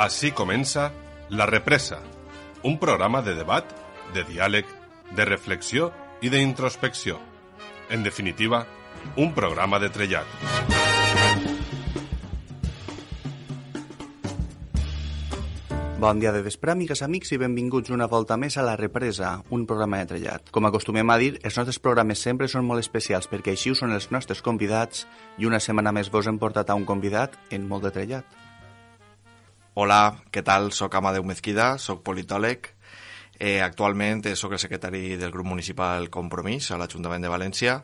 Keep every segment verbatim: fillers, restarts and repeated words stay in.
Así comença La Represa, un programa de debat, de diàleg, de reflexió i d'introspecció. En definitiva, un programa de trellat. Bon dia de vespre, amigues, amics, i benvinguts una volta més a La Represa, un programa de trellat. Com acostumem a dir, els nostres programes sempre són molt especials perquè així ho són els nostres convidats i una setmana més vos hem portat a un convidat en molt de trellat. Hola, què tal? Soc Amadeu Mezquida, soc politòleg. Eh, actualment soc el secretari del grup municipal Compromís a l'Ajuntament de València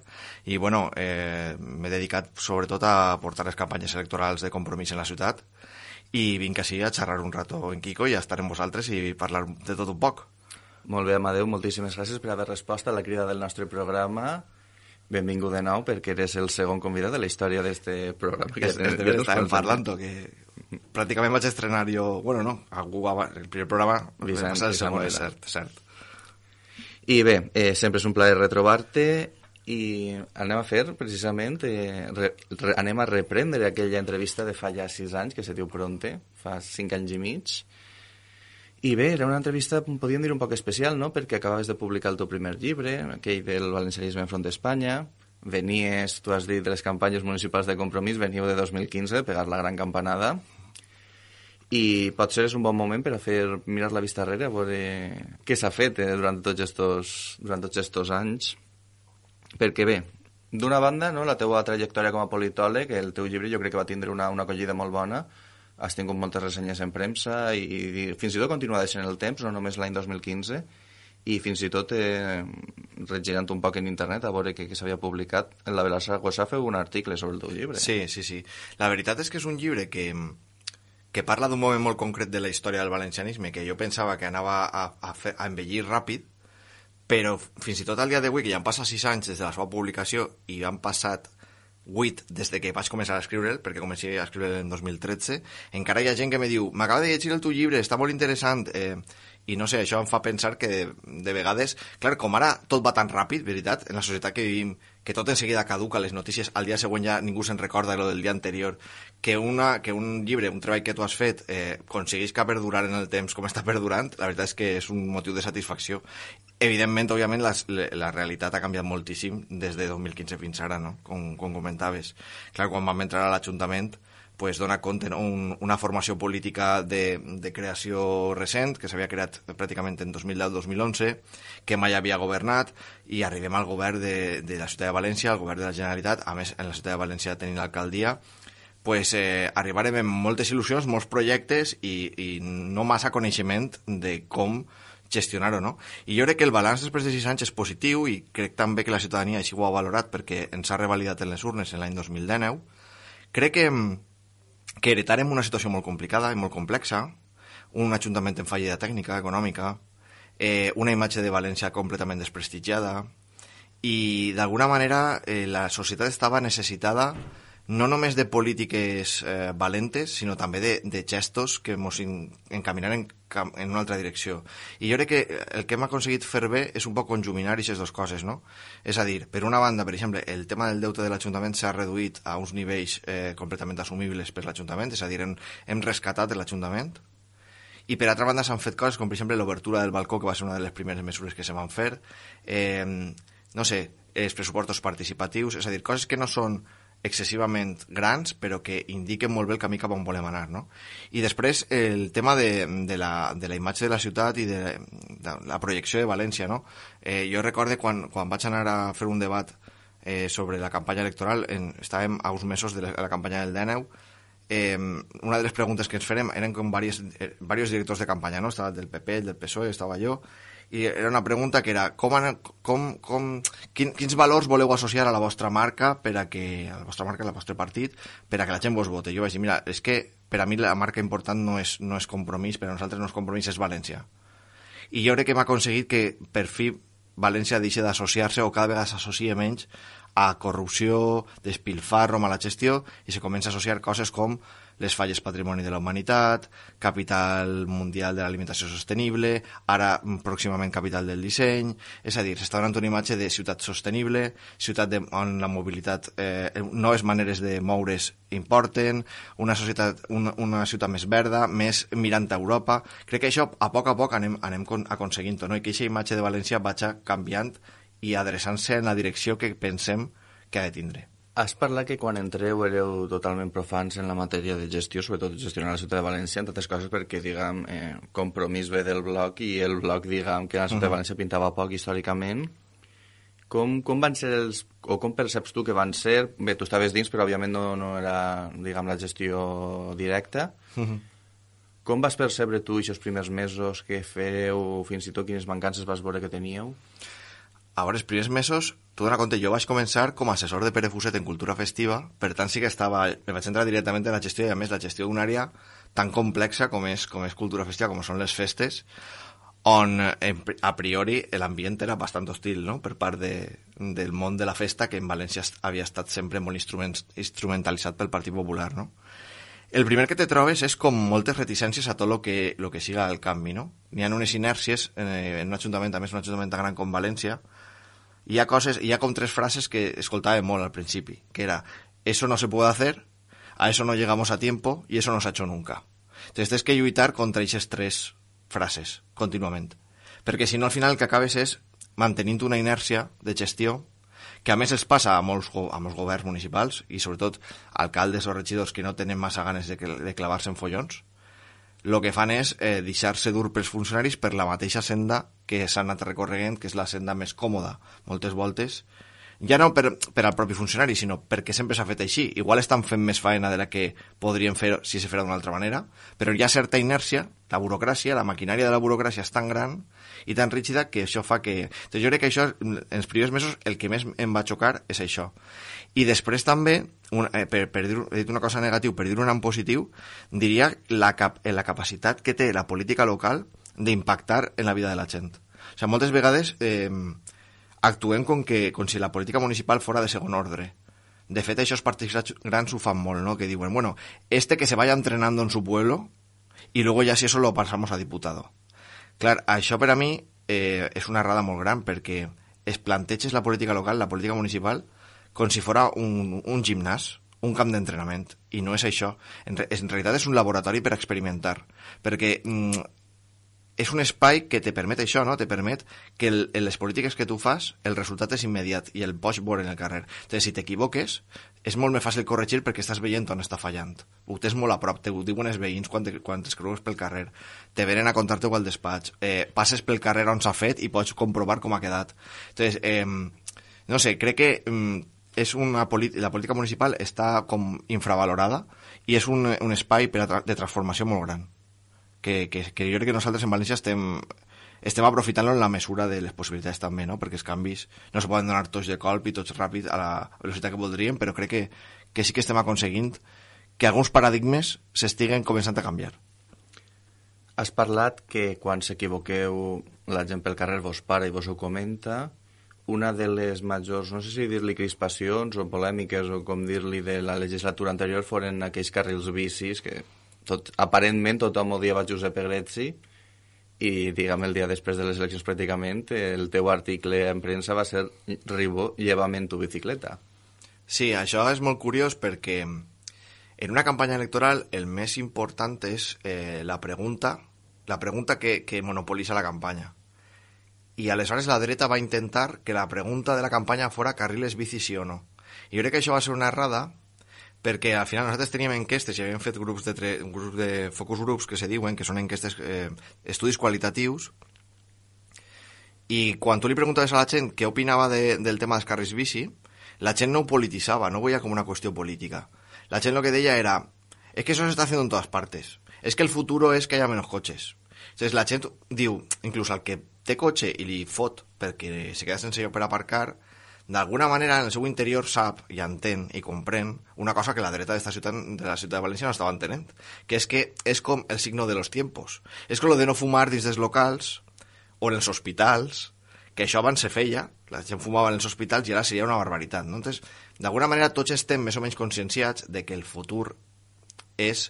i bueno, eh, m'he dedicat sobretot a portar les campanyes electorals de Compromís en la ciutat i vinc així a xerrar un rato en Quico i a estar amb vosaltres i parlar de tot un poc. Molt bé, Amadeu, moltíssimes gràcies per haver respost a la crida del nostre programa. Benvingut de nou perquè eres el segon convidat de la història d'este programa. Que és, és de veres estàvem parlant, que pràcticament vaig estrenar jo, bueno, no, algú, el primer programa, Vicent, el segon, és cert, cert. I bé, eh, sempre és un plaer retrobar-te i anem a fer, precisament, eh, re, re, anem a reprendre aquella entrevista de fa ja sis anys, que se diu Pronte, fa cinc anys i mig. I bé, era una entrevista, podríem dir, un poc especial, no?, perquè acabaves de publicar el teu primer llibre, aquell del valencianisme enfront d'Espanya. Venies, tu has dit, de les campanyes municipals de Compromís, veníeu de dos mil quinze, pegar la gran campanada. I potser és un bon moment per a fer mirar la vista darrere, a veure què s'ha fet eh, durant tots estos, durant tots estos anys. Perquè bé, d'una banda, no, la teua trajectòria com a politòleg, el teu llibre jo crec que va tindre una, una acollida molt bona, has tingut moltes ressenyes en premsa i, i fins i tot continua deixant el temps, no només l'any dos mil quinze, i fins i tot eh, regirant un poc en internet a veure què, què s'havia publicat. En la Vela Saragossa feu un article sobre el teu llibre. Sí, sí, sí. La veritat és que és un llibre que, que parla d'un moment molt concret de la història del valencianisme, que jo pensava que anava a, a, fer, a envellir ràpid, però fins i tot al dia d'avui, que ja han passat sis anys des de la seva publicació i han passat vuit des de que vaig començar a escriure'l, perquè comencé a escriure'l en dos mil tretze, encara hi ha gent que me diu, m'acaba de llegir el teu llibre, està molt interessant, eh, i no sé, això em fa pensar que de, de vegades, clar, com ara tot va tan ràpid, veritat, en la societat que vivim, que tot en seguida caduca, les notícies, al dia següent ja ningú se'n recorda de lo del dia anterior, que, una, que un llibre, un treball que tu has fet, eh, aconseguisca perdurar en el temps com està perdurant, la veritat és que és un motiu de satisfacció. Evidentment, òbviament, la, la realitat ha canviat moltíssim des de dos mil quinze fins ara, no?, com, com comentaves. Clar, quan vam entrar a l'Ajuntament, pues dona compte, no? Un, una formació política de, de creació recent, que s'havia creat pràcticament en dos mil deu dos mil onze, que mai havia governat, i arribem al govern de, de la ciutat de València, al govern de la Generalitat, a més, en la ciutat de València tenint l'alcaldia, pues, eh, arribarem amb moltes il·lusions, molts projectes i, i no massa coneixement de com gestionar-ho, no? I jo crec que el balanç després de sis anys és positiu i crec també que la ciutadania així ho ha valorat perquè ens ha revalidat en les urnes en l'any dos mil dinou. Crec que que heretarem una situació molt complicada i molt complexa, un ajuntament en fallida tècnica, econòmica, eh, una imatge de València completament desprestigiada i d'alguna manera eh, la societat estava necessitada no només de polítiques eh, valentes, sinó també de, de gestos que ens encaminaran en, en una altra direcció. I jo crec que el que hem aconseguit fer bé és un poc conjuminar aquestes dues coses, no? És a dir, per una banda, per exemple, el tema del deute de l'Ajuntament s'ha reduït a uns nivells eh, completament assumibles per l'Ajuntament, és a dir, hem, hem rescatat l'Ajuntament, i per altra banda s'han fet coses com, per exemple, l'obertura del balcó, que va ser una de les primeres mesures que se van fer, eh, no sé, els pressupostos participatius, és a dir, coses que no són excessivament grans, però que indiquen molt bé el camí cap on volem anar, no? I després el tema de, de, la, de la imatge de la ciutat i de, de la projecció de València, no? Eh, jo recorde quan, quan vaig anar a fer un debat eh, sobre la campanya electoral, en, estàvem a uns mesos de la, la campanya del dinou, eh, una de les preguntes que ens farem eren com diversos, eh, diversos directors de campanya, no? Estava el del P P, el del P S O E, estava jo, i era una pregunta que era com, com, com, quin, quins valors voleu associar a la vostra marca per a que, a la vostra marca, al vostre partit, per a que la gent vos vote. Jo vaig dir, mira, és que per a mi la marca important no és, no és Compromís, per a nosaltres no és Compromís, és València. I jo crec que hem aconseguit que per fi València deixi d'associar-se o cada vegada s'associa menys a corrupció, despilfarro, mala gestió, i se comença a associar coses com les falles patrimoni de la humanitat, capital mundial de l'alimentació sostenible, ara pròximament capital del disseny, és a dir, s'està donant una imatge de ciutat sostenible, ciutat de, on la mobilitat, eh, noves maneres de moure's importen, una societat, una, una ciutat més verda, més mirant a Europa. Crec que això a poc a poc anem, anem aconseguint-ho, no? I que aquesta imatge de València vagi canviant i adreçant-se en la direcció que pensem que ha de tindre. Has parlat que quan entreu éreu totalment profans en la matèria de gestió, sobretot gestionar la ciutat de València, entre altres coses perquè, diguem, eh, Compromís ve del bloc i el bloc, diguem, que la ciutat uh-huh. de València pintava poc històricament. Com, com van ser els... o com perceps tu que van ser? Bé, tu estaves dins, però òbviament no, no era, diguem, la gestió directa. Uh-huh. Com vas percebre tu aquests primers mesos que fèieu, fins i tot quines mancances vas veure que teníeu? A veure, els primers mesos, tu dona compte, jo vaig començar com a assessor de Pere Fuset en cultura festiva, per tant sí que estava, me vaig entrar directament en la gestió, i a més la gestió d'una àrea tan complexa com és, com és cultura festiva, com són les festes, on a priori l'ambient era bastant hostil, no?, per part de, del món de la festa, que en València havia estat sempre molt instrument, instrumentalitzat pel Partit Popular, no? El primer que te trobes és com moltes reticències a tot el que, lo que siga el canvi, no? N'hi ha unes inèrcies eh, en un ajuntament, a més un ajuntament tan gran com València. Hi ha coses, hi ha com tres frases que escoltava molt al principi, que era, eso no se puede hacer, a eso no llegamos a tiempo y eso no se ha hecho nunca. Entonces tens que lluitar contra aquestes tres frases, contínuament. Perquè si no, al final el que acabes és mantenint una inèrcia de gestió que a més els passa a molts, a molts governs municipals i sobretot alcaldes o regidors que no tenen massa ganes de, de clavar-se en follons. El que fan és eh, deixar-se dur pels funcionaris per la mateixa senda que s'han anat recorregent, que és la senda més còmoda, moltes voltes, ja no per, per al propi funcionari, sinó perquè sempre s'ha fet així. Igual estan fent més faena de la que podrien fer si se fera d'una altra manera, però hi ha certa inèrcia, la burocràcia, la maquinària de la burocràcia és tan gran i tan rígida que això fa que... Entonces, jo crec que això, en els primers mesos, el que més em va xocar és això. I després també, un, eh, per, per dir, he dit una cosa negativa, per dir una en positiu, diria la, cap, la capacitat que té la política local d'impactar en la vida de la gent. O sigui, moltes vegades eh, actuem com, que, com si la política municipal fora de segon ordre. De fet, això els partits grans ho fan molt, ¿no? Que diuen, bueno, este que se vaya entrenando en su pueblo y luego ya si eso lo pasamos a diputado. Clar, això per a mi eh, és una errada molt gran, perquè es planteges la política local, la política municipal, com si fora un, un gimnàs, un camp d'entrenament, i no és això. En, en realitat és un laboratori per experimentar, perquè mm, és un espai que te permet això, no? Te permet que el, en les polítiques que tu fas el resultat és immediat i el pots veure en el carrer. Entonces, si t'equivoques, és molt més fàcil corregir perquè estàs veient on està fallant. Ho tens molt a prop, te ho diuen els veïns quan, te, quan t'escreus pel carrer. Te venen a contar-te-ho al despatx. Eh, passes pel carrer on s'ha fet i pots comprovar com ha quedat. Entonces, eh, no sé, crec que eh, és una la política municipal està com infravalorada i és un, un espai per a tra de transformació molt gran. Que, que, que jo crec que nosaltres en València estem, estem aprofitant-lo en la mesura de les possibilitats també, no? Perquè els canvis no se poden donar tots de colp i tots ràpid a la velocitat que voldríem, però crec que, que sí que estem aconseguint que alguns paradigmes s'estiguen començant a canviar. Has parlat que quan s'equivoqueu la gent pel carrer vos para i vos ho comenta. Una de les majors, no sé si dir-li crispacions o polèmiques o com dir-li de la legislatura anterior foren aquells carrils bicis que tot, aparentment tothom odiava Josep Egretzi i, diguem, el dia després de les eleccions pràcticament el teu article en premsa va ser Ribó, llévame en tu bicicleta. Sí, això és molt curiós perquè en una campanya electoral el més important és eh, la pregunta, la pregunta que, que monopolitza la campanya. I aleshores la dreta va intentar que la pregunta de la campanya fora carriles bici sí o no. I jo crec que això va ser una errada perquè al final nosaltres teníem enquestes i havíem fet grups de, tre... grups de focus groups que se diuen, que són enquestes, eh, estudis qualitatius, i quan tu li preguntaves a la gent què opinava de, del tema dels carrils bici, la gent no ho polititzava, no ho veia com una qüestió política. La gent lo que deia era, es que eso se está haciendo en todas partes, es que el futuro es que haya menos coches. Entonces la gent diu, inclús al que té cotxe i li fot perquè se queda sense lloc per aparcar, d'alguna manera en el seu interior sap i entén i comprèn una cosa que la dreta d'esta ciutat, de la ciutat de València no estava entenent, que és que és com el signo de los tiempos. És com lo de no fumar dins dels locals o en els hospitals, que això abans se feia, la gent fumava en els hospitals i ara seria una barbaritat, no? Entonces, d'alguna manera tots estem més o menys conscienciats de que el futur és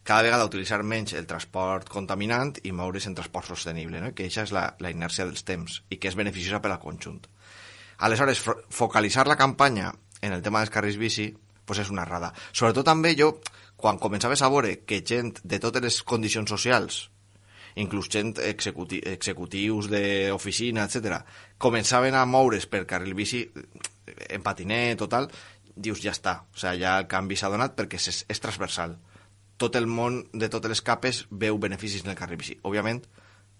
cada vegada utilitzar menys el transport contaminant i moure's en transport sostenible, no? Que això és la, la inèrcia dels temps i que és beneficiosa per al conjunt. Aleshores, focalitzar la campanya en el tema dels carrils bici pues és una errada. Sobretot també jo, quan començaves a veure que gent de totes les condicions socials, inclús gent executi executius d'oficina, etcètera, començaven a moure's per carril bici en patinet o tal, dius, ja està. O sigui, ja el canvi s'ha donat perquè és, és transversal. Tot el món de totes les capes veu beneficis en el carril bici. Òbviament,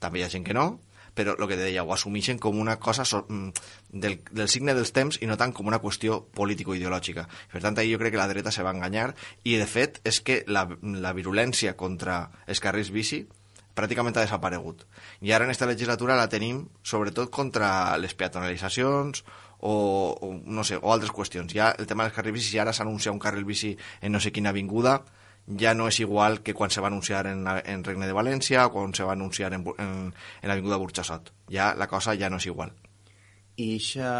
també hi ha gent que no, però el que te deia, ho assumeixen com una cosa so, del, del signe dels temps i no tant com una qüestió político-ideològica. Per tant, ahí jo crec que la dreta se va enganyar i, de fet, és que la, la virulència contra els carrils bici pràcticament ha desaparegut. I ara en aquesta legislatura la tenim sobretot contra les peatonalitzacions o, o, no sé, o altres qüestions. Ja el tema dels carrils bici, si ara s'anuncia un carril bici en no sé quina avinguda, ja no és igual que quan se va anunciar en, en Regne de València o quan se va anunciar en, en, en l'avinguda Burxassot. Ja la cosa ja no és igual. I eixa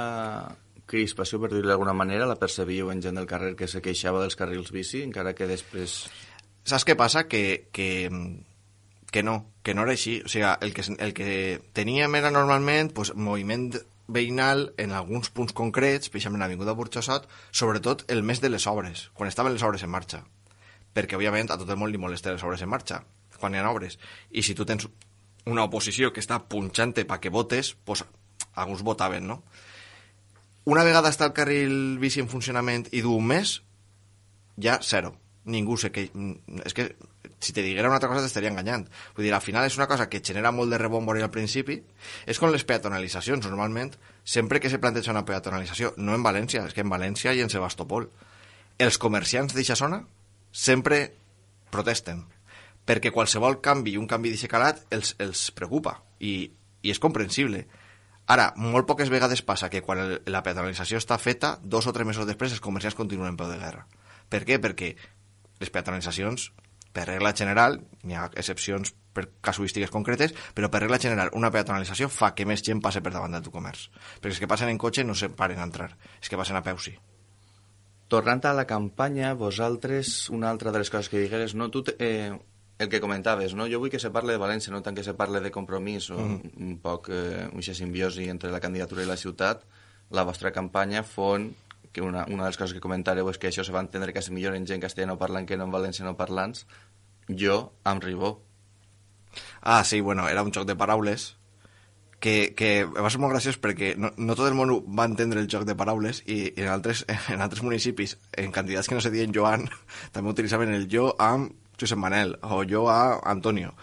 crispació, per dir-ho d'alguna manera, la percebiu en gent del carrer que se queixava dels carrils bici, encara que després... Saps què passa? Que, que, que no, que no era així. O sigui, el que, el que teníem era normalment pues, moviment veïnal en alguns punts concrets, especialment en l'avinguda Burxassot, sobretot el mes de les obres, quan estaven les obres en marxa. Perquè, òbviament, a tot el món li molesta les obres en marxa, quan hi ha obres. I si tu tens una oposició que està punxant-te perquè votes, doncs alguns votaven, no? Una vegada està el carril bici en funcionament i d'un mes, ja zero. Ningú sé que... És que si te diguera una altra cosa t'estaria enganyant. Vull dir, al final és una cosa que genera molt de rebombori al principi. És com les peatonalitzacions, normalment. Sempre que se planteja una peatonalització, no en València, és que en València i en Sebastopol, els comerciants d'eixa zona sempre protesten, perquè qualsevol canvi, un canvi d'aquest calat, els, els preocupa, i, i és comprensible. Ara, molt poques vegades passa que quan el, la peatonalització està feta, dos o tres mesos després els comerciants continuen en peu de guerra. Per què? Perquè les peatonalitzacions, per regla general, hi ha excepcions per casuístiques concretes, però per regla general una peatonalització fa que més gent passe per davant del teu comerç. Perquè els que passen en cotxe no se paren a entrar, els que passen a peu sí. Tornant a la campanya, vosaltres, una altra de les coses que digueres, no? Tu, eh, el que comentaves, no? Jo vull que se parle de València, no tant que se parle de Compromís, o mm. un poc eh, una simbiosi entre la candidatura i la ciutat. La vostra campanya fon, que una, una de les coses que comentareu és que això se va entendre quasi millor en gent castellano parlant que no en valenciano parlants. Jo, amb Ribó. Ah, sí, bueno, era un joc de paraules que, que va ser molt graciós perquè no, no tot el món va entendre el joc de paraules i, i en, altres, en altres municipis, en candidats que no se diuen Joan, també utilitzaven el jo amb Josep Manel o jo a Antonio.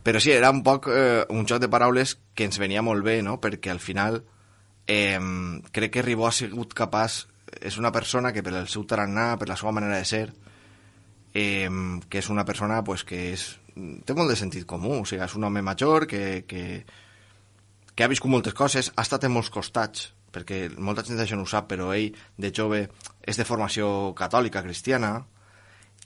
Però sí, era un poc eh, un joc de paraules que ens venia molt bé, no? Perquè al final eh, crec que Ribó ha sigut capaç, és una persona que per el seu tarannà, per la seva manera de ser, eh, que és una persona pues, que és, té molt de sentit comú, o sigui, és un home major que... que que ha viscut moltes coses, ha estat en molts costats, perquè molta gent això no ho sap, però ell, de jove, és de formació catòlica, cristiana,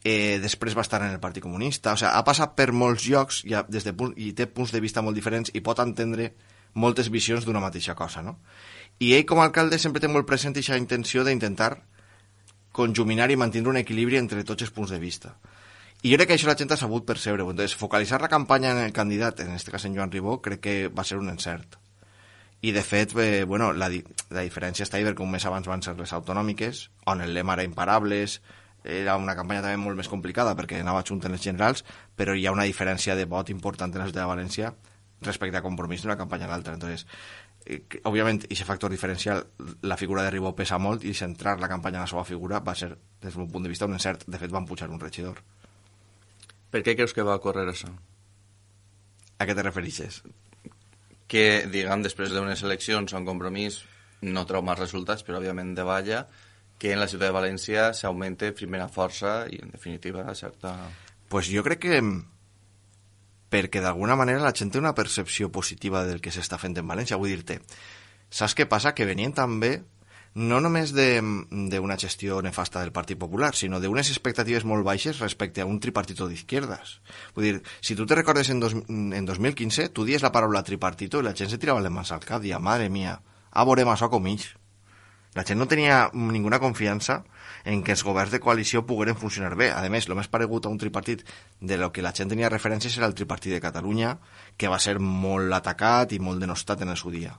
eh, després va estar en el Partit Comunista, o sigui, ha passat per molts llocs i, ha, des de, i té punts de vista molt diferents i pot entendre moltes visions d'una mateixa cosa, no? I ell, com a alcalde, sempre té molt present aquesta intenció d'intentar conjuminar i mantenir un equilibri entre tots els punts de vista. I jo crec que això la gent ha sabut percebre. Entonces, focalitzar la campanya en el candidat, en aquest cas en Joan Ribó, crec que va ser un encert. I, de fet, eh, bueno, la, di la diferència està ahí perquè un mes abans van ser les autonòmiques, on el lema era imparables, era una campanya també molt més complicada perquè anava junt en les generals, però hi ha una diferència de vot important en la ciutat de València respecte a Compromís d'una campanya a l'altra. Entonces, eh, òbviament, aquest factor diferencial, la figura de Ribó pesa molt i centrar la campanya en la seva figura va ser, des del meu punt de vista, un encert. De fet, van pujar un regidor. Per què creus que va ocórrer això? A què te referixes? Que, diguem, després d'unes eleccions on Compromís no treu més resultats, però òbviament davalla, que en la ciutat de València s'augmente primera força i, en definitiva, certa... Pues jo crec que perquè d'alguna manera la gent té una percepció positiva del que s'està fent en València. Vull dir-te, saps què passa? Que venien també no només d'una gestió nefasta del Partit Popular, sinó d'unes expectatives molt baixes respecte a un tripartito d'izquierdas. Vull dir, si tu te recordes en, dos, en dos mil quinze, tu dies la paraula tripartito i la gent se tirava les mans al cap, dia, madre mía, a veure massa com ells. La gent no tenia ninguna confiança en que els governs de coalició pogueren funcionar bé. A més, el més paregut a un tripartit de lo que la gent tenia referències era el tripartit de Catalunya, que va ser molt atacat i molt denostat en el seu dia.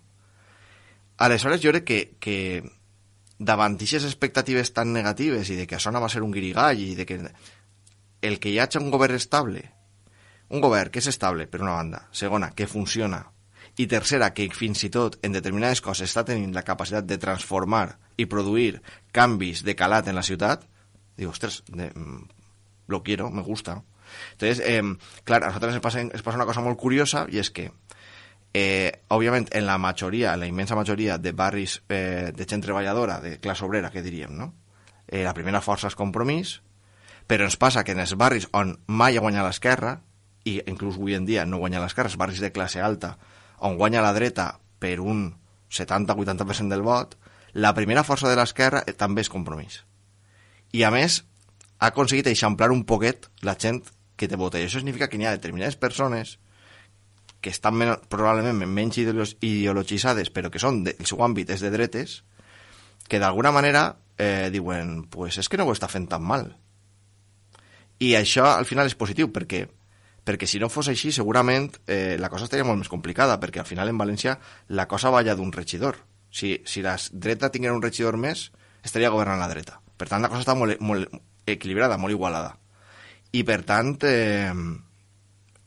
Aleshores, jo crec que, que davant d'aquestes expectatives tan negatives i de que això no va ser un guirigall i de que el que hi hagi un govern estable, un govern que és estable, per una banda, segona, que funciona, i tercera, que fins i tot en determinades coses està tenint la capacitat de transformar i produir canvis de calat en la ciutat, digo, ostres, de, lo quiero, me gusta. Entonces, eh, clar, a nosaltres ens passa, ens passa una cosa molt curiosa, i és que, eh, òbviament, en la majoria, en la immensa majoria de barris eh, de gent treballadora, de classe obrera, que diríem, no? Eh, la primera força és Compromís, però ens passa que en els barris on mai ha guanyat l'esquerra, i inclús avui en dia no guanya l'esquerra, els barris de classe alta, on guanya la dreta per un setanta a vuitanta per cent del vot, la primera força de l'esquerra també és Compromís. I a més, ha aconseguit eixamplar un poquet la gent que te vota. I això significa que hi ha determinades persones que estan men probablement menys ideologitzades, però que són del seu àmbit és de dretes, que d'alguna manera eh, diuen, pues és que no ho està fent tan mal. I això al final és positiu, perquè perquè si no fos així, segurament eh, la cosa estaria molt més complicada, perquè al final en València la cosa va allà d'un regidor. Si, si la dreta tinguera un regidor més, estaria governant la dreta. Per tant, la cosa està molt, molt equilibrada, molt igualada. I per tant, eh,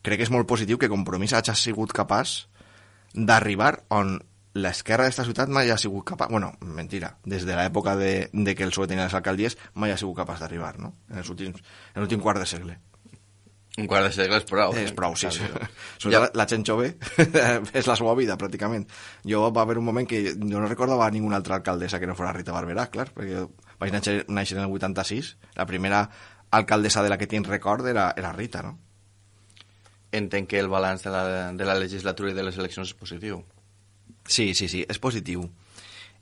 crec que és molt positiu que Compromís hagi sigut capaç d'arribar on l'esquerra d'esta ciutat mai ha sigut capaç... Bueno, mentira, des de l'època de, de que el P S O E tenia les alcaldies mai ha sigut capaç d'arribar, no? En l'últim quart de segle. Un quart de segle és prou. És prou, sí. sí. ja. la, la gent jove és la seva vida, pràcticament. Jo va haver un moment que jo no recordava ninguna altra alcaldessa que no fos Rita Barberà, clar, perquè vaig néixer, néixer en el vuitanta-sis, la primera alcaldessa de la que tinc record era, era Rita, no? Entenc que el balanç de la, de la legislatura i de les eleccions és positiu. Sí, sí, sí, és positiu.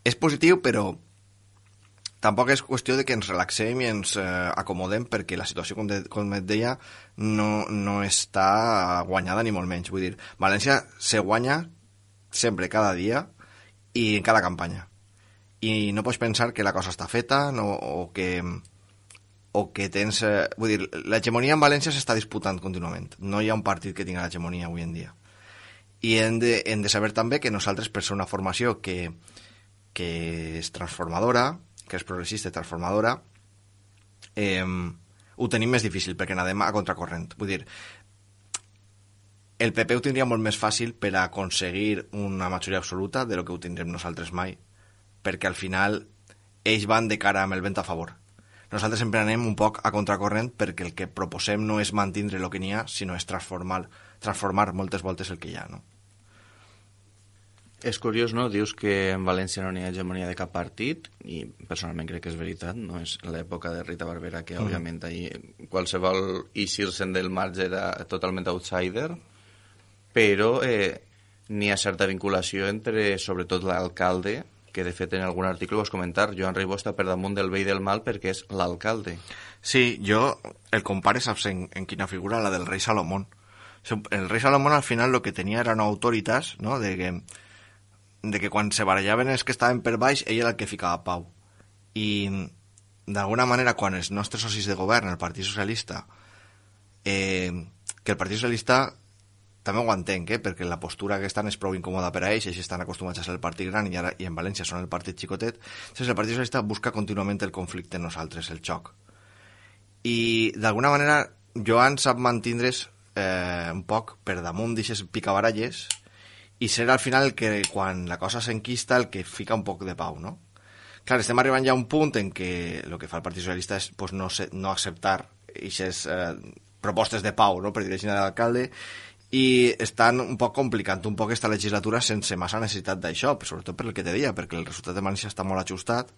És positiu, però tampoc és qüestió de que ens relaxem i ens eh, acomodem, perquè la situació, com, de, com et deia, no, no està guanyada ni molt menys. Vull dir, València se guanya sempre, cada dia i en cada campanya. I no pots pensar que la cosa està feta no, o que o que tens... Eh, vull dir, l'hegemonia en València s'està disputant contínuament. No hi ha un partit que tingui l'hegemonia avui en dia. I hem de, hem de saber també que nosaltres, per ser una formació que, que és transformadora, que és progressista i transformadora, eh, ho tenim més difícil, perquè anem a contracorrent. Vull dir, el P P ho tindria molt més fàcil per a aconseguir una majoria absoluta de lo que ho tindrem nosaltres mai, perquè al final ells van de cara amb el vent a favor. Nosaltres sempre anem un poc a contracorrent, perquè el que proposem no és mantindre el que n'hi ha, sinó és transformar, transformar moltes voltes el que hi ha, no? És curiós, no? Dius que en València no hi ha hegemonia de cap partit, i personalment crec que és veritat, no és l'època de Rita Barberà, que mm. òbviament ahir qualsevol eixir-se'n del marge era totalment outsider, però eh, n'hi ha certa vinculació entre, sobretot, l'alcalde, que de fet en algun article ho vas comentar, Joan Ribó està per damunt del bé i del mal perquè és l'alcalde. Sí, jo el compare, saps en, en quina figura? La del rei Salomón. El rei Salomón al final lo que tenia era una autoritas, ¿no?, de que de que quan se barallaven els que estaven per baix, ell era el que ficava pau. I, d'alguna manera, quan els nostres socis de govern, el Partit Socialista, eh, que el Partit Socialista també ho entenc, eh, perquè la postura que estan és prou incòmoda per a ells, ells estan acostumats a ser el partit gran i, ara, i en València són el partit xicotet, doncs el Partit Socialista busca contínuament el conflicte en nosaltres, el xoc. I, d'alguna manera, Joan sap mantindre's eh, un poc per damunt d'aixes picabaralles i ser al final el que, quan la cosa s'enquista, el que fica un poc de pau, no? Clar, estem arribant ja a un punt en què el que fa el Partit Socialista és pues, no, se, no acceptar aquestes eh, propostes de pau, no?, per dir de l'alcalde, i estan un poc complicant un poc aquesta legislatura sense massa necessitat d'això, sobretot per el que te deia, perquè el resultat de València està molt ajustat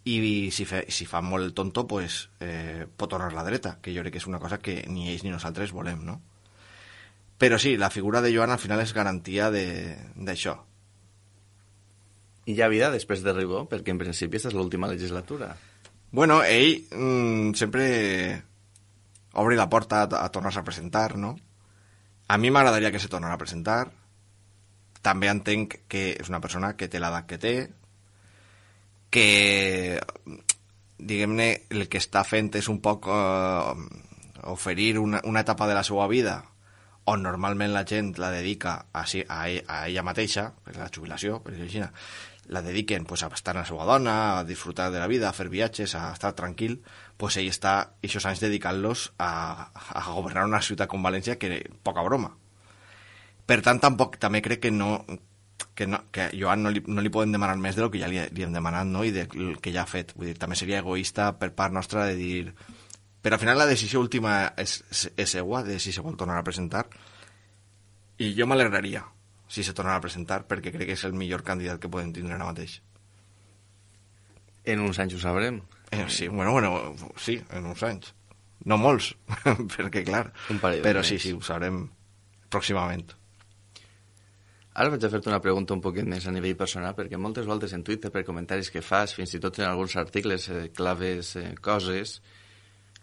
i si, fe, si fa molt el tonto, pues, eh, pot tornar la dreta, que jo crec que és una cosa que ni ells ni nosaltres volem, no? Però sí, la figura de Joan al final és garantia d'això. I hi ha vida després de Ribó? Perquè en principi aquesta és l'última legislatura. Bueno, ell mmm, sempre obri la porta a, a tornar-se a presentar, no? A mi m'agradaria que se tornara a presentar. També entenc que és una persona que té l'edat que té, que, diguem-ne, el que està fent és un poc eh, oferir una, una etapa de la seva vida on normalment la gent la dedica a, a, a ella mateixa, per la jubilació, per dir-ho així, la dediquen pues, a estar amb la seva dona, a disfrutar de la vida, a fer viatges, a estar tranquil, pues ell està aquests anys dedicant-los a, a governar una ciutat com València, que poca broma. Per tant, tampoc, també crec que no, que, no, que a Joan no li, no li poden demanar més del que ja li, li hem demanat, no? I del que ja ha fet. Vull dir, també seria egoista per part nostra de dir... Però al final la decisió última és, és seua, de si se vol tornar a presentar, i jo m'alegraria si se tornarà a presentar, perquè crec que és el millor candidat que podem tindre ara mateix. En uns anys ho sabrem. Eh, sí, bueno, bueno, sí, en uns anys. No molts, perquè clar, però sí, sí, ho sabrem pròximament. Ara vaig a fer-te una pregunta un poquet més a nivell personal, perquè moltes voltes en Twitter, per comentaris que fas, fins i tot en alguns articles, eh, claves eh, coses...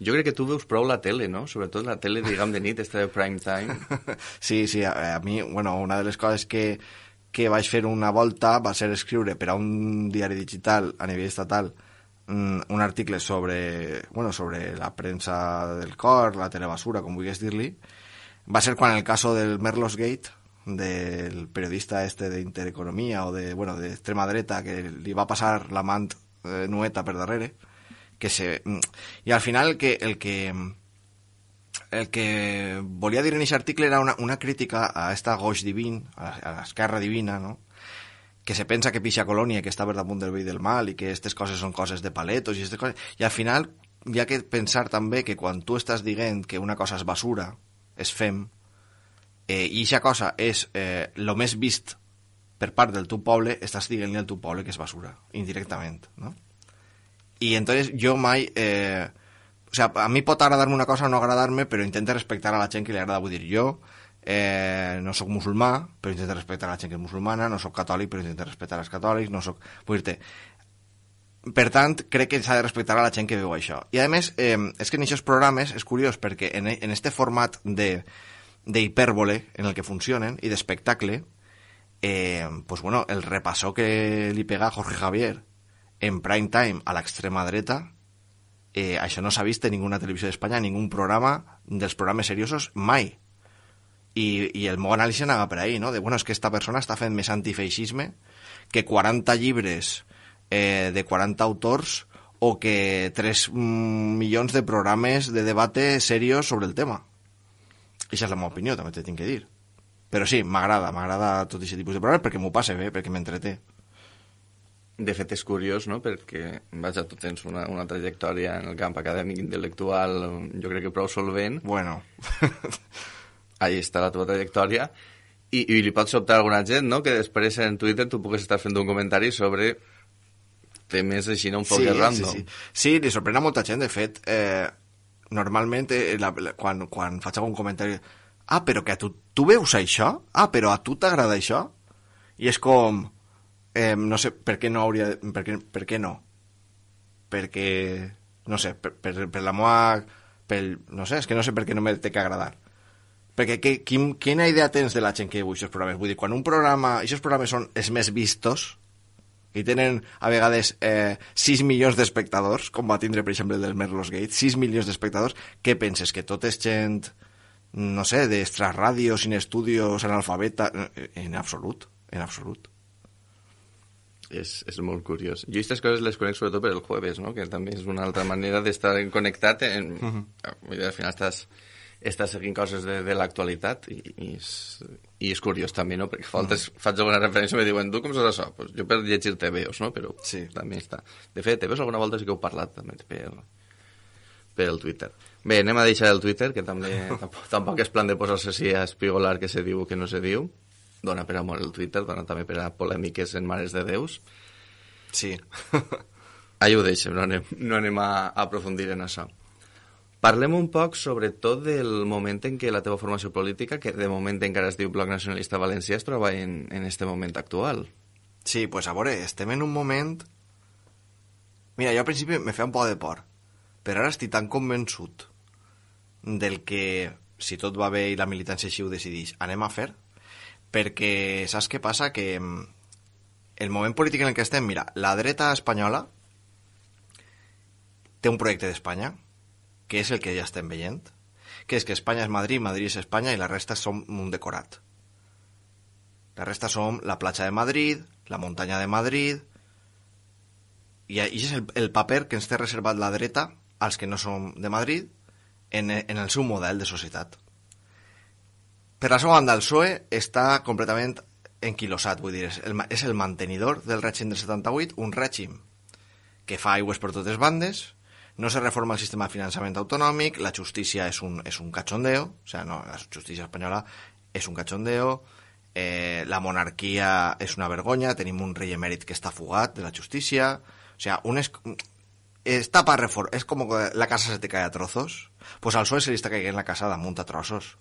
Jo crec que tu veus prou la tele, no? Sobretot la tele, diguem, de nit, esta de prime time. Sí, sí, a, a mi, bueno, una de les coses que, que vaig fer una volta va ser escriure per a un diari digital a nivell estatal un, un article sobre, bueno, sobre la premsa del cor, la telebasura, com vulguis dir-li. Va ser quan el caso del Merlos Gate, del periodista este d'Intereconomia o de, bueno, d'extrema dreta, que li va passar l'amant eh, nueta per darrere, que se... I al final el que, el que, el que volia dir en aquest article era una, una crítica a esta goix divin, a l'esquerra divina, no? Que se pensa que pixa colònia, que està per damunt del bé i del mal, i que aquestes coses són coses de paletos, i, coses... i al final hi ha que pensar també que quan tu estàs dient que una cosa és basura, és fem, eh, i aquesta cosa és eh, lo més vist per part del teu poble, estàs dient-li al teu poble que és basura, indirectament, no? Y entonces yo mai... Eh, o sea, a mí pot agradar-me una cosa o no agradar-me, però intento respectar a la gent que li agrada. Vull dir, jo eh, no sóc musulmà, però intento respectar a la gent que és musulmana, no sóc catòlic, però intento respectar als catòlics, no sóc... Vull dir-te... Per tant, crec que s'ha de respectar a la gent que veu això. I a més, eh, és que en aquests programes és curiós, perquè en, en este format de d'hipèrbole en el que funcionen, i d'espectacle, eh, pues bueno, el repassó que li pega a Jorge Javier en prime time a l'extrema dreta, eh, això no s'ha vist en ninguna televisió d'Espanya, en ningún programa dels programes seriosos, mai. I, i el meu anàlisi anava per ahí, no? De, bueno, és que esta persona està fent més antifeixisme que quaranta llibres eh, de quaranta autors o que tres mm, milions de programes de debate serios sobre el tema. Aquesta és la meva opinió, també t'he tinc que dir. Però sí, m'agrada, m'agrada tot aquest tipus de programes perquè m'ho passe bé, perquè m'entreté. De fet, és curiós, no?, perquè, vaja, tu tens una, una trajectòria en el camp acadèmic intel·lectual, jo crec que prou solvent. Bueno. Ahí està la teva trajectòria. I, i li pot sobtar a alguna gent, no?, que després en Twitter tu pugues estar fent un comentari sobre temes així, no?, un poc sí, random. Sí, sí. Sí, li sorprèn a molta gent. De fet, eh, normalment, eh, la, la, quan, quan faig algun comentari... Ah, però que a tu, tu veus això? Ah, però a tu t'agrada això? I és com... Eh, no sé per què no hauria per què, per què no perquè no sé per, per, per la meva per, no sé, és que no sé per què no me té que agradar perquè que, quin, quina idea tens de la gent que veu aquests programes? Vull dir, quan un programa aquests programes són els més vistos i tenen a vegades eh, sis milions d'espectadors, com va tindre per exemple el del Merlos Gate, sis milions d'espectadors, què penses? Que tot és gent no sé, d'extraràdio, sin estudios, analfabeta? En absolut, en absolut. És, és molt curiós. Jo aquestes coses les conec sobretot per el jueves, no?, que també és una altra manera d'estar connectat. En... Uh-huh. Al final estàs, estàs seguint coses de, de l'actualitat i, i, és, i és curiós també, no?, perquè faltes, uh-huh. faig alguna referència i me diuen, tu com saps això? Pues jo per llegir T V Os, no?, però sí. També està. De fet, T V Os alguna volta sí que heu parlat també per, per el Twitter. Bé, anem a deixar el Twitter, que també tampoc, tampoc és plan de posar-se així a espigolar que se diu o que no se diu. Dona per amor el Twitter, dona també per a polèmiques en mares de Déus. Sí. Allà ho deixem, no anem, no anem a, a aprofundir en això. Parlem un poc, sobretot, del moment en què la teva formació política, que de moment encara es diu Bloc Nacionalista Valencià, es troba en, en este moment actual. Sí, pues a veure, estem en un moment... Mira, jo al principi me feia un poc de por, però ara estic tan convençut del que, si tot va bé i la militància així ho decideix, anem a fer... perquè saps què passa? Que el moment polític en el que estem, mira, la dreta espanyola té un projecte d'Espanya, que és el que ja estem veient, que és que Espanya és Madrid, Madrid és Espanya i la resta som un decorat. La resta som la platja de Madrid, la muntanya de Madrid, i això és el, el paper que ens té reservat la dreta als que no som de Madrid en, en el seu model de societat. Per la seva banda, el P S O E està completament enquilosat, vull dir, és el, és el mantenidor del règim del setanta-vuit, un règim que fa aigües per totes bandes, no se reforma el sistema de finançament autonòmic, la justícia és un, és un cachondeo, o sea, no, la justícia espanyola és un cachondeo, eh, la monarquia és una vergonya, tenim un rei emèrit que està fugat de la justícia, o sea, un es, està para reformar, és com que la casa se te cae a trozos, pues al P S O E se li està caient la casa damunt a trossos.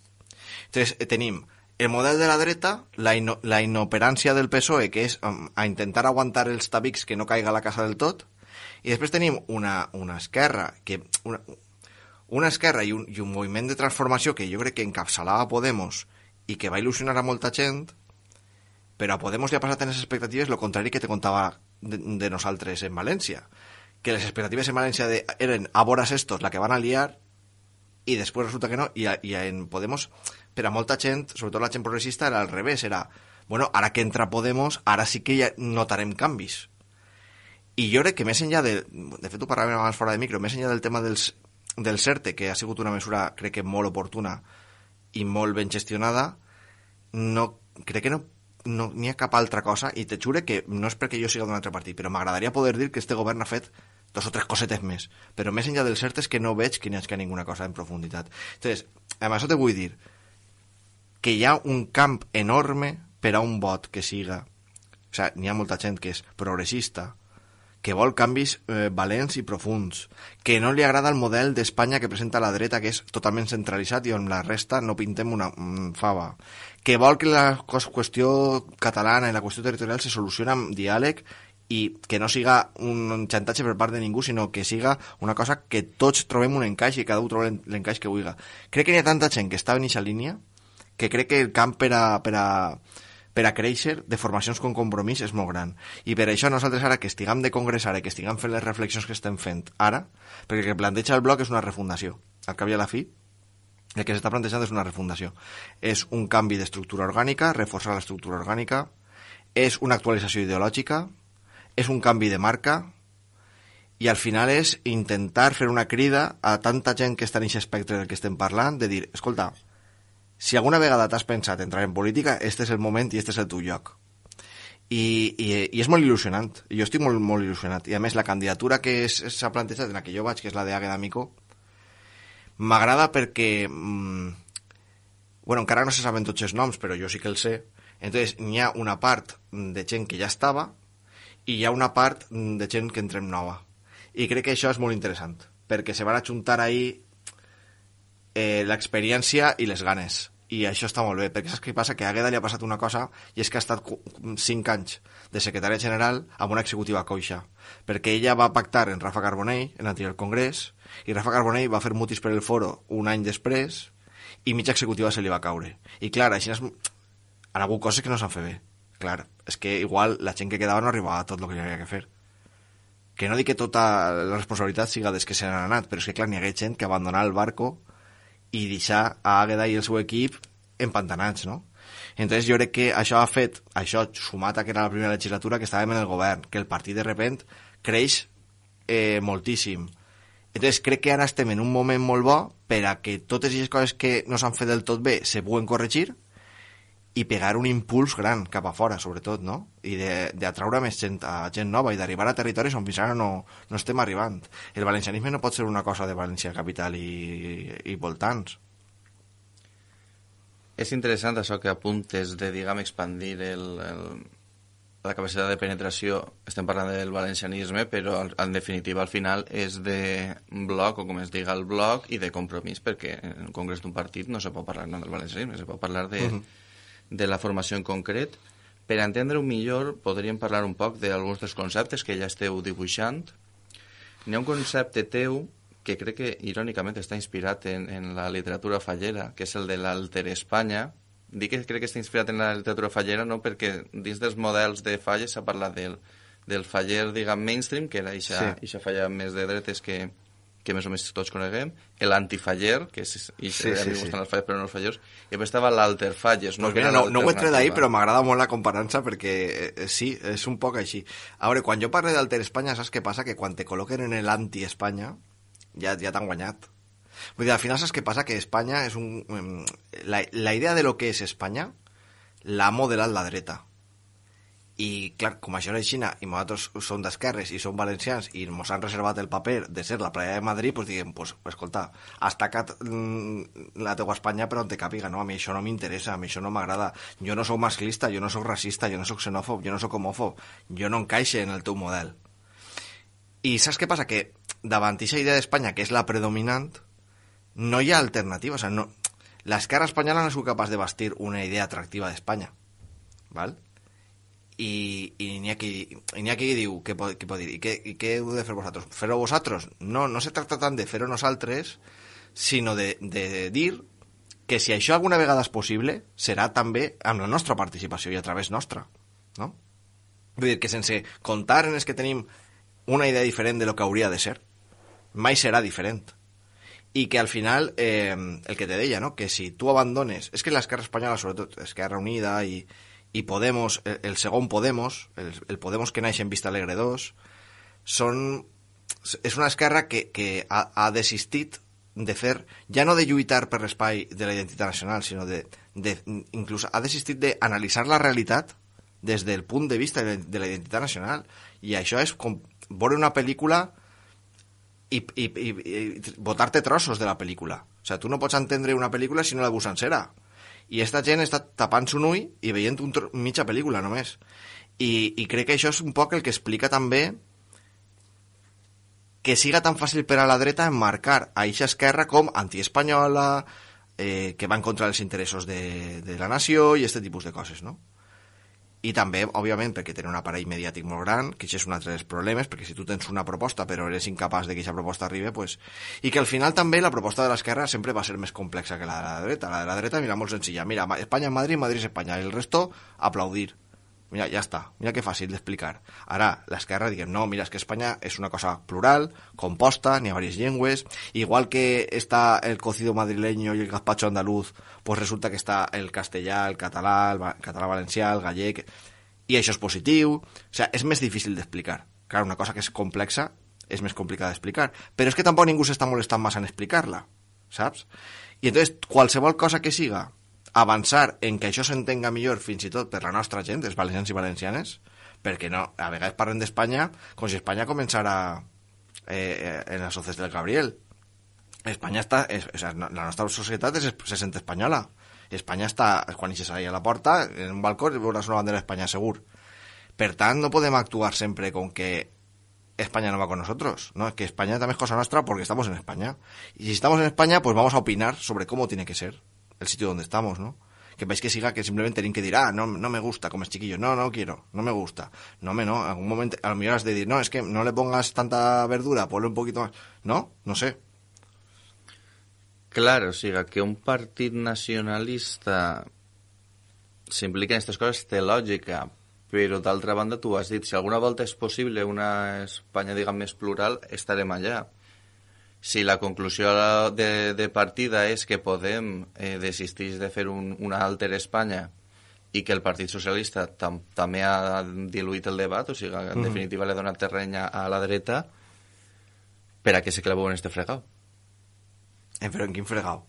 Entonces, eh, tenim el model de la dreta, la, ino, la inoperància del P S O E, que és um, a intentar aguantar els tabics que no caiga la casa del tot, i després tenim una, una esquerra, que una, una esquerra i un, i un moviment de transformació que jo crec que encapçalava Podemos i que va il·lusionar a molta gent, però a Podemos li ha passat en les expectatives el contrari que te contava de, de nosaltres en València, que les expectatives en València de, eren a voras estos la que van a liar i després resulta que no, i, a, i en Podemos, per a molta gent, sobretot la gent progressista, era al revés, era, bueno, ara que entra Podemos, ara sí que ja notarem canvis. I jo crec que més enllà de... De fet, ho parlàvem abans fora de micro, més enllà del tema dels, del CERTE, que ha sigut una mesura, crec que molt oportuna i molt ben gestionada, no, crec que no no n'hi ha cap altra cosa, i te jure que no és perquè jo siga d'un altre partit, però m'agradaria poder dir que este govern ha fet dos o tres cosetes més, però més enllà del cert és que no veig que n'hi hagi ninguna cosa en profunditat. Entonces, amb això te vull dir que hi ha un camp enorme per a un vot que siga, o sigui, n'hi ha molta gent que és progressista, que vol canvis eh, valents i profuns, que no li agrada el model d'Espanya que presenta la dreta, que és totalment centralitzat i on la resta no pintem una un fava, que vol que la qüestió catalana i la qüestió territorial se soluciona amb diàleg i que no siga un xantatge per part de ningú, sinó que siga una cosa que tots trobem un encaix i cada un troba l'encaix que vulgui. Crec que n'hi ha tanta gent que està en aquesta línia que crec que el camp per a, per a per a créixer de formacions con compromís és molt gran. I per això nosaltres ara que estiguem de congrés ara i que estiguem fent les reflexions que estem fent ara, perquè el que planteja el bloc és una refundació. Al cap i a la fi, el que s'està plantejant és una refundació. És un canvi d'estructura orgànica, reforçar l'estructura orgànica, és una actualització ideològica, és un canvi de marca, i al final és intentar fer una crida a tanta gent que està en aquest espectre del que estem parlant, de dir, escolta, si alguna vegada t'has pensat entrar en política, este és el moment i este és el teu lloc. I, i, i és molt il·lusionant. Jo estic molt, molt il·lusionat. I a més, la candidatura que s'ha plantejat en la que jo vaig, que és la d'Àgueda Micó, m'agrada perquè... Mmm, bueno, encara no se saben tots els noms, però jo sí que els sé. Entonces, n'hi ha una part de gent que ja estava i hi ha una part de gent que entrem nova. I crec que això és molt interessant, perquè se van ajuntar ahí Eh, l'experiència i les ganes, i això està molt bé, perquè saps què passa? Que a Àgueda li ha passat una cosa, i és que ha estat cinc anys de secretària general amb una executiva coixa, perquè ella va pactar en Rafa Carbonell en l'anterior congrés, i Rafa Carbonell va fer mutis per el foro un any després i mitja executiva se li va caure, i clar, així és... han hagut coses que no s'han fet bé, clar, és que igual la gent que quedava no arribava a tot el que hi havia que fer, que no dic que tota la responsabilitat siga des que se n'han anat, però és que clar, n'hi ha gent que abandonà el barco i deixar a Àgueda i el seu equip empantanats, no? Entonces jo crec que això ha fet, això sumat a que era la primera legislatura que estàvem en el govern, que el partit de repent creix eh, moltíssim. Entonces crec que ara estem en un moment molt bo per a que totes aquestes coses que no s'han fet del tot bé se puguen corregir i pegar un impuls gran cap a fora, sobretot, no? I d'atraure més gent, a gent nova i d'arribar a territoris on fins ara no, no estem arribant. El valencianisme no pot ser una cosa de València capital i, i voltants. És interessant això que apuntes de, diguem, expandir el, el, la capacitat de penetració. Estem parlant del valencianisme, però en definitiva al final és de bloc, o com es diga el bloc, i de compromís, perquè en un congrés d'un partit no se pot parlar no del valencianisme, se pot parlar de... Uh-huh. de la formació en concret. Per entendre-ho millor, podríem parlar un poc d'alguns dels conceptes que ja esteu dibuixant. N'hi ha un concepte teu que crec que, irònicament, està inspirat en, en la literatura fallera, que és el de l'Alter Espanya, Dic que crec que està inspirat en la literatura fallera, no? Perquè dins dels models de falles s'ha parlat del, del faller, diguem, mainstream, que era ixa, sí. ixa falla més de dretes que, que més o més tots coneguem, l'antifaller, que és, i sí, sí, sí. les falles però no els fallers, i després estava l'alterfalles. No, pues mira, no, no ho he tret d'ahir, però m'agrada molt la comparança perquè eh, sí, és un poc així. A veure, quan jo parlo d'Alter Espanya, saps què passa? Que quan te col·loquen en l'anti-Espanya, ja, ja t'han guanyat. Vull dir, al final saps què passa? Que Espanya és un... La, la idea de lo que és Espanya l'ha modelat la dreta. I, clar, com això era Xina i nosaltres som d'esquerres i som valencians i ens han reservat el paper de ser la playa de Madrid, doncs diguem, pues, escolta, has tacat mm, la teua Espanya per on te càpiga, no? A mi això no m'interessa, a mi això no m'agrada. Jo no sóc masclista, jo no sóc racista, jo no sóc xenòfob, jo no sóc homòfob, jo no encaixe en el teu model. I saps què passa? Que davant aquesta idea d'Espanya, que és la predominant, no hi ha alternativa. O sigui, no... l'esquerra espanyola no és capaç de bastir una idea atractiva d'Espanya, val? I, i n'hi ha qui, n'hi ha qui diu què pot, què pot dir, i què, i què heu de fer vosaltres? Fer-ho vosaltres? No, no se tracta tant de fer-ho nosaltres, sinó de, de dir que si això alguna vegada és possible, serà també amb la nostra participació i a través nostra, no? Vull dir que sense comptar en els que tenim una idea diferent de lo que hauria de ser, mai serà diferent. I que al final, eh, el que te deia, no? Que si tu abandones... És que l'esquerra espanyola, sobretot Esquerra Unida i i Podemos, el, el segon Podemos, el, el Podemos que naix en Vista Alegre dos, són, és una esquerra que, que ha, ha desistit de fer, ja no de lluitar per l'espai de la identitat nacional, sinó de, de inclús ha desistit d'analitzar la realitat des del punt de vista de, de la identitat nacional. I això és com veure una pel·lícula i, i, i, i botar-te trossos de la pel·lícula. O sigui, tu no pots entendre una pel·lícula si no la veus sencera. I esta gent està tapant-se un ull i veient un tro... mitja pel·lícula només. I, I crec que això és un poc el que explica també que siga tan fàcil per a la dreta emmarcar a eixa esquerra com antiespanyola, eh, que va en contra dels interessos de, de la nació i aquest tipus de coses, no? I també, òbviament, perquè tenen un aparell mediàtic molt gran, que això és un altre dels problemes, perquè si tu tens una proposta però eres incapaç de que aquesta proposta arribi, pues... i que al final també la proposta de l'esquerra sempre va ser més complexa que la de la dreta. La de la dreta, mira, molt senzilla. Mira, Espanya en Madrid, Madrid es Espanya. El resto, aplaudir. Mira, ja està. Mira que fàcil d'explicar. Ara, l'esquerra diguem, no, mira, és que Espanya és una cosa plural, composta, n'hi ha diverses llengües, igual que està el cocido madrileño i el gazpacho andaluz, pues resulta que està el castellà, el català, el català valencià, el gallec, i això és positiu. O sigui, és més difícil d'explicar. Clar, una cosa que és complexa és més complicada d'explicar, però és que tampoc ningú s'està molestant massa en explicar-la, saps? I entonces, qualsevol cosa que siga avançar en que això s'entenga millor fins i tot per la nostra gent, els valencians i valencianes, perquè no, a vegades parlen d'Espanya com si Espanya començara eh, en els soces del Gabriel. Espanya està... És, o sigui, la nostra societat és, se sent espanyola. Espanya està... Quan eixes ahí a la porta, en un balcó, veuràs una bandera d'Espanya segur. Per tant, no podem actuar sempre con que España no va con nosotros, ¿no? Que España también es cosa nuestra porque estamos en España. Y si estamos en España, pues vamos a opinar sobre cómo tiene que ser el sitio donde estamos, ¿no? Que veis que siga que simplemente tienen que decir, ah, no, no me gusta, como es chiquillo, no, no quiero, no me gusta, no me, no, en algún momento, a lo mejor has de decir, no, es que no le pongas tanta verdura, ponle un poquito más, no, no sé. Claro, o sigui, que un partit nacionalista s'implica en aquestes coses té lògica, però d'altra banda tu has dit, si alguna volta és possible una Espanya, diguem, més plural, estarem allà. Si la conclusió de, de partida és que Podem eh, desisteix de fer un, una altra Espanya i que el Partit Socialista tam, també ha diluït el debat, o sigui, en mm. definitiva l'ha donat terreny a la dreta, per a què se claveu en este fregau? Eh, però en quin fregau?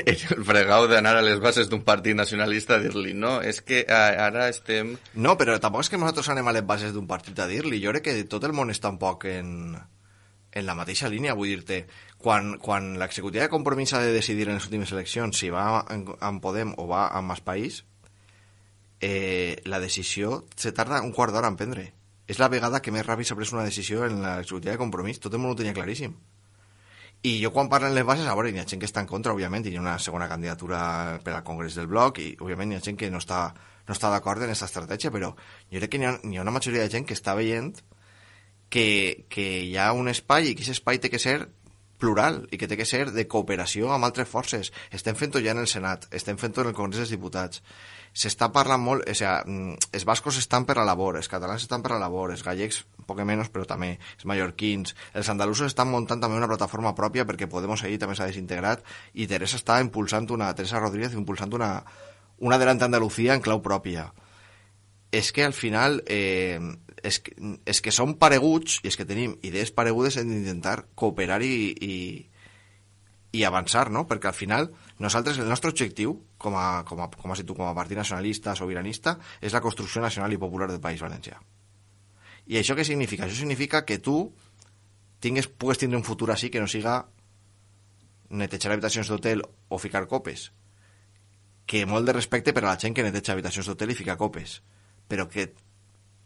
El fregau d'anar a les bases d'un partit nacionalista a dir-li, no, és que ara estem... No, però tampoc és que nosaltres anem a les bases d'un partit a dir-li, jo crec que tot el món està un poc en... en la mateixa línia, vull dir-te, quan, quan l'executiva de Compromís ha de decidir en les últimes eleccions si va en, en Podem o va en Mas País, eh, la decisió se tarda un quart d'hora en prendre. És la vegada que més ràpid s'ha pres una decisió en l'executiva de Compromís, tot el món ho tenia claríssim. I jo quan parlen les bases, a veure, hi ha gent que està en contra, òbviament, hi ha una segona candidatura per al Congrés del Bloc, i òbviament hi ha gent que no està, no està d'acord en aquesta estratègia, però jo crec que hi ha, hi ha una majoria de gent que està veient que, que hi ha un espai i que aquest espai té que ser plural i que té que ser de cooperació amb altres forces. Estem fent-ho ja en el Senat, estem fent-ho en el Congrés dels Diputats. S'està parlant molt, o sigui, els bascos estan per a la labor, els catalans estan per a la labor, els gallecs un poc menys, però també, els mallorquins, els andalusos estan muntant també una plataforma pròpia perquè Podemos ahir també s'ha desintegrat i Teresa està impulsant una, Teresa Rodríguez impulsant una, una Adelante Andalucía en clau pròpia. És que al final eh, és, que, és que som pareguts i és que tenim idees paregudes en d'intentar cooperar i, i, i avançar, no? Perquè al final nosaltres, el nostre objectiu com a, com a, com a, com a partit nacionalista, sobiranista, és la construcció nacional i popular del País Valencià. I això què significa? Això significa que tu tingues, pugues tindre un futur així que no siga netejar habitacions d'hotel o ficar copes. Que molt de respecte per a la gent que neteja habitacions d'hotel i fica copes. Però que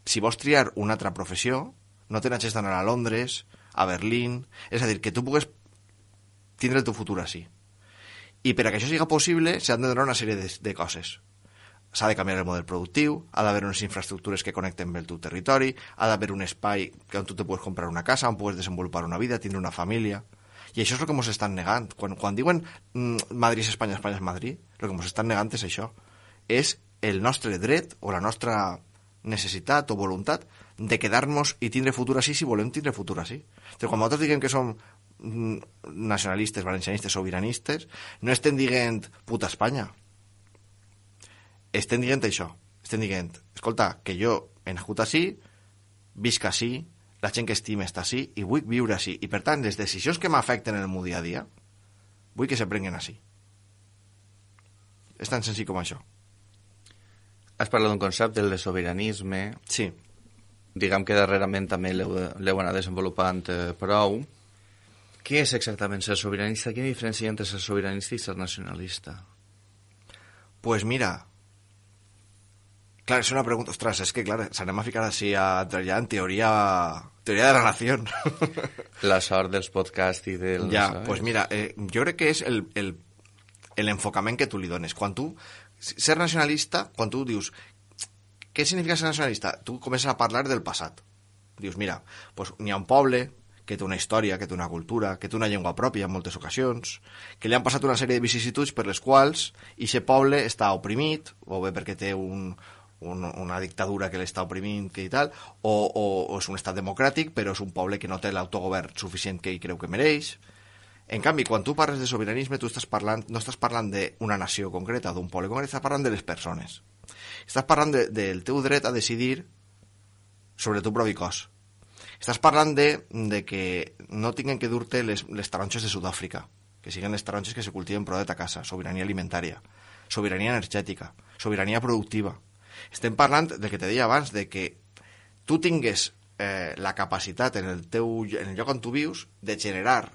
si vols triar una altra professió, no te n'hagis d'anar a Londres, a Berlín... És a dir, que tu pugues tindre el teu futur així. I per a que això siga possible s'han de donar una sèrie de, de coses. S'ha de canviar el model productiu, ha d'haver unes infraestructures que connecten bé el teu territori, ha d'haver un espai on tu te puedes comprar una casa, on puedes desenvolupar una vida, tindre una família... I això és el que ens estan negant. Quan, quan diuen mmm, Madrid és Espanya, Espanya és Madrid, el que ens estan negant és això. És el nostre dret o la nostra necessitat o voluntat de quedar-nos i tindre futur així si volem tindre futur així. Però quan nosaltres diguem que som nacionalistes, valencianistes, sobiranistes, no estem dient puta Espanya. Estem dient això. Estem dient, escolta, que jo he nascut així, visc així, la gent que estima està així i vull viure així. I per tant, les decisions que m'afecten en el meu dia a dia, vull que se prenguen així. És tan senzill com això. Has parlat d'un concepte, el de sobiranisme. Sí. Diguem que darrerament també l'heu anat desenvolupant eh, prou. Què és exactament ser sobiranista? Quina diferència hi ha entre ser sobiranista i ser nacionalista? Pues mira... Clar, és una pregunta... Ostres, és que, clar, s'anem a ficar així a treballar en teoria... Teoria de la nació. La sort dels podcasts i del... Ja, ¿sabes? Pues mira, eh, jo crec que és el, el, l'enfocament que tu li dones. Quan tu... Ser nacionalista, quan tu dius... Què significa ser nacionalista? Tu comences a parlar del passat. Dius, mira, pues, n'hi ha un poble que té una història, que té una cultura, que té una llengua pròpia en moltes ocasions, que li han passat una sèrie de vicissituds per les quals aquest poble està oprimit, o bé perquè té un... Un, una dictadura que l'està oprimint que i tal, o, o, o és un estat democràtic però és un poble que no té l'autogovern suficient que ell creu que mereix. En canvi, quan tu parles de sobiranisme tu estàs parlant, no estàs parlant d'una nació concreta, d'un poble concret, estàs parlant de les persones, estàs parlant de, del teu dret a decidir sobre el teu propi cos, estàs parlant de, de que no tinguen que dur-te les, les taronges de Sud-àfrica, que siguin les taronges que se cultiven prou de ta casa, sobirania alimentària, sobirania energètica, sobirania productiva. Estem parlant del que te deia abans, de que tu tingues eh, la capacitat en el, teu, en el lloc on tu vius de generar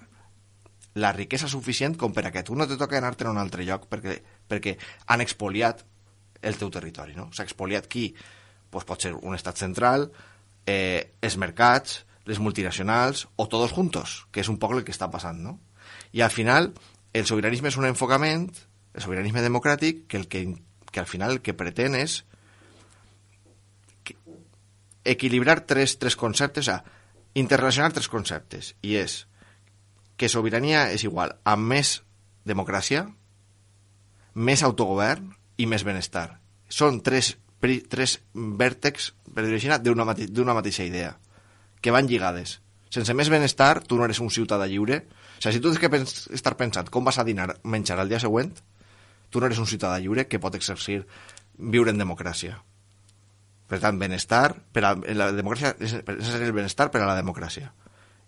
la riquesa suficient com per a que tu no te toqui anar-te'n a un altre lloc perquè, perquè han expoliat el teu territori, no? S'ha expoliat qui? Pues pot ser un estat central, eh, els mercats, les multinacionals o tots juntos, que és un poc el que està passant, no? I al final el sobiranisme és un enfocament, el sobiranisme democràtic, que, el que, que al final el que pretén és equilibrar tres, tres conceptes, o sea, interrelacionar tres conceptes, i és que sobirania és igual a més democràcia, més autogovern i més benestar. Són tres, tres vèrtexs, per dir-ho així, d'una mate, d'una mateixa idea, que van lligades. Sense més benestar, tu no eres un ciutadà lliure. O sigui, si tu tens que pens estar pensant com vas a dinar, menjar el dia següent, tu no eres un ciutadà lliure que pot exercir viure en democràcia. Per tant, benestar, per a la democràcia és necessari el benestar per a la democràcia.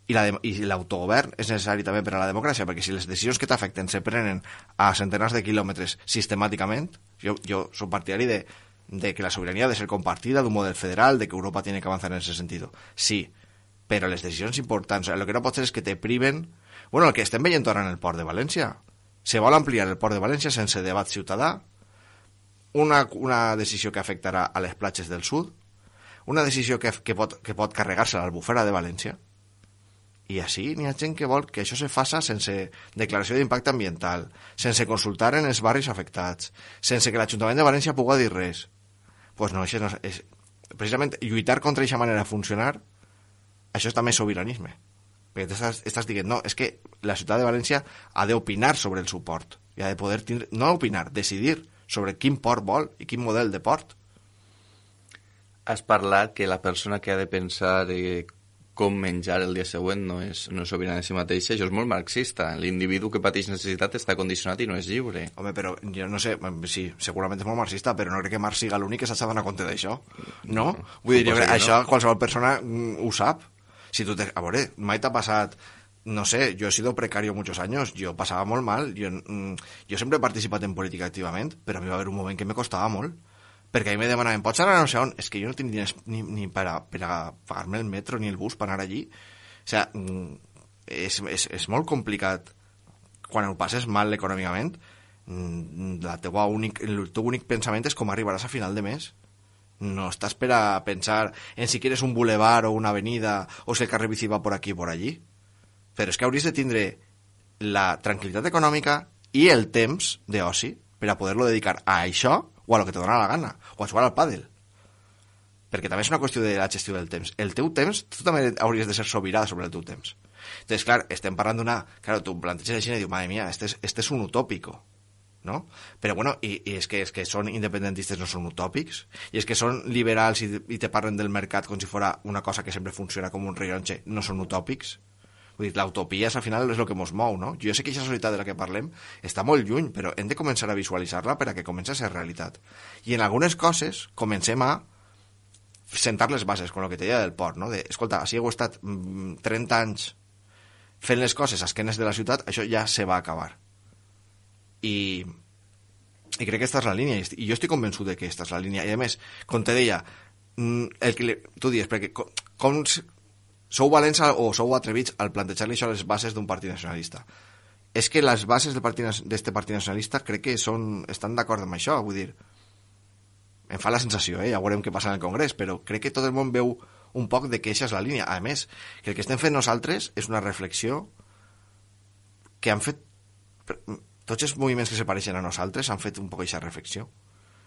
I, la de, i l'autogovern és necessari també per a la democràcia, perquè si les decisions que t'afecten se prenen a centenars de quilòmetres sistemàticament, jo, jo soc partidari de, de que la sobirania ha de ser compartida, d'un model federal, de que Europa tiene que avanzar en ese sentido. Sí, però les decisions importants, el que no pot ser és que te priven... Bueno, el que estem veient ara en el port de València. Se vol ampliar el port de València sense debat ciutadà, Una, una decisió que afectarà a les platges del sud, una decisió que, que, pot, que pot carregar-se a l'Albufera de València, i així n'hi ha gent que vol que això se faça sense declaració d'impacte ambiental, sense consultar en els barris afectats, sense que l'Ajuntament de València pugui dir res. Doncs pues no, això no és... Precisament, lluitar contra aquesta manera de funcionar, això és també sobiranisme. Perquè t'estàs, estàs dient, no, és que la ciutat de València ha d'opinar sobre el suport, i ha de poder tindre, no opinar, decidir sobre quin port vol i quin model de port. Has parlat que la persona que ha de pensar eh, com menjar el dia següent no és, no és sobirana en si mateixa. Això és molt marxista. L'individu que pateix necessitat està condicionat i no és lliure. Home, però jo no sé, sí, segurament és molt marxista, però no crec que Marx siga l'únic que s'ha d'anar compte d'això, no? no? Vull dir, jo crec, això no. Qualsevol persona mm, ho sap. Si tu te... A veure, mai t'ha passat... No sé, yo he sido precario muchos años, yo pasaba molt mal, yo, mm, yo sempre he participat en política activament, però a mi va haver un moment que me costava molt, perquè a mi me demanaven, pots anar a no sé on? És que jo no tinc diners ni, ni per, a, per a pagar-me el metro ni el bus per anar allí. O sigui, és, és, és molt complicat. Quan ho passes mal econòmicament, la teua únic, el teu únic pensament és com arribaràs a final de mes. No estàs per a pensar en si quieres un boulevard o una avenida o si el carrer bici va por aquí o por allí. Però és que hauries de tindre la tranquil·litat econòmica i el temps d'oci per a poder-lo dedicar a això o a lo que te dona la gana, o a jugar al pàdel. Perquè també és una qüestió de la gestió del temps. El teu temps, tu també hauries de ser sobirà sobre el teu temps. Entonces, clar, estem parlant d'una... Claro, tu planteges així i dius, madre mía, este es, este es un utópico, ¿no? Però bueno, i, i és que, és que són independentistes, no són utòpics, i és que són liberals i, i te parlen del mercat com si fora una cosa que sempre funciona com un rellotge, no són utòpics. Vull dir, l'utopia al final és el que ens mou, no? Jo sé que aquesta societat de la que parlem està molt lluny, però hem de començar a visualitzar-la per a que comenci a ser realitat. I en algunes coses comencem a sentar les bases, com el que te deia del port, no? De, escolta, si heu estat trenta anys fent les coses a esquenes de la ciutat, això ja se va acabar. I, i crec que aquesta és la línia, i jo estic convençut de que aquesta és la línia. I a més, com te deia, el que li, tu dius, perquè com, com sou valents o sou atrevits al plantejar-li això a les bases d'un partit nacionalista. És que les bases del partit, d'este partit nacionalista crec que són, estan d'acord amb això, vull dir, em fa la sensació, eh? Ja veurem què passa en el Congrés, però crec que tot el món veu un poc de que això és la línia. A més, que el que estem fent nosaltres és una reflexió que han fet... Tots els moviments que se pareixen a nosaltres han fet un poc aquesta reflexió.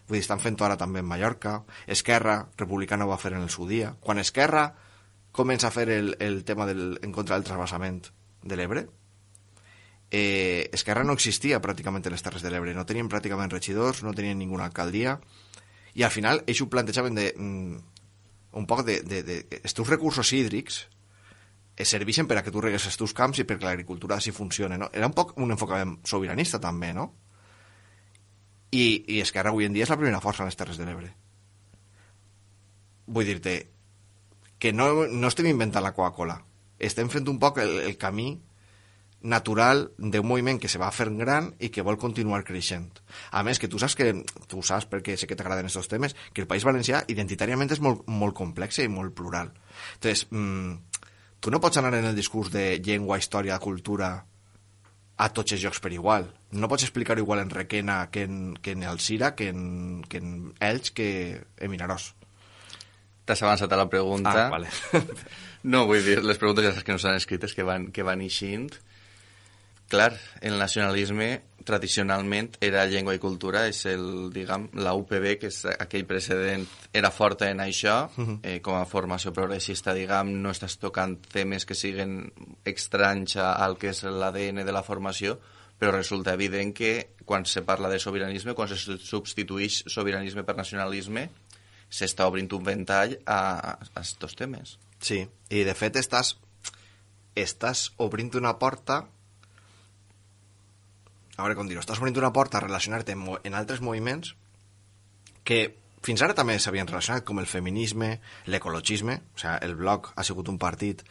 Vull dir, estan fent-ho ara també en Mallorca, Esquerra Republicana ho va fer en el seu dia. Quan Esquerra comença a fer el, el tema del, en contra del trasbassament de l'Ebre, eh, Esquerra no existia pràcticament en les Terres de l'Ebre, no tenien pràcticament regidors, no tenien ninguna alcaldia, i al final ells ho plantejaven de, mm, un poc de, de, de, de els teus recursos hídrics es serveixen per a que tu regues els teus camps i perquè l'agricultura així funcione, no? Era un poc un enfocament sobiranista també, no? I, i Esquerra avui en dia és la primera força en les Terres de l'Ebre. Vull dir-te que no, no estem inventant la Coca-Cola, estem fent un poc el, el camí natural d'un moviment que se va fent gran i que vol continuar creixent. A més, que tu saps que tu saps, perquè sé que t'agraden aquests temes, que el País Valencià identitàriament és molt, molt complex i molt plural. Entonces, mmm, tu no pots anar en el discurs de llengua, història, cultura a tots els llocs per igual. No pots explicar-ho igual en Requena que en, que en Alzira, que en, que en Elx, que en Vinaròs. T'has avançat a la pregunta. Ah, vale. No, vull dir, les preguntes ja saps que no s'han escrites, que van, que van eixint. Clar, el nacionalisme tradicionalment era llengua i cultura, és el, diguem, la U P B, que és aquell precedent, era forta en això, uh-huh. eh, com a formació progressista, diguem, no estàs tocant temes que siguen estranys al que és l'A D N de la formació, però resulta evident que quan se parla de sobiranisme, quan se substitueix sobiranisme per nacionalisme, s'està obrint un ventall a aquests temes. Sí, i de fet estàs, estàs obrint una porta, a veure com dir-ho, estàs obrint una porta a relacionar-te en, en altres moviments que fins ara també s'havien relacionat, com el feminisme, l'ecologisme, o sigui, el Bloc ha sigut un partit,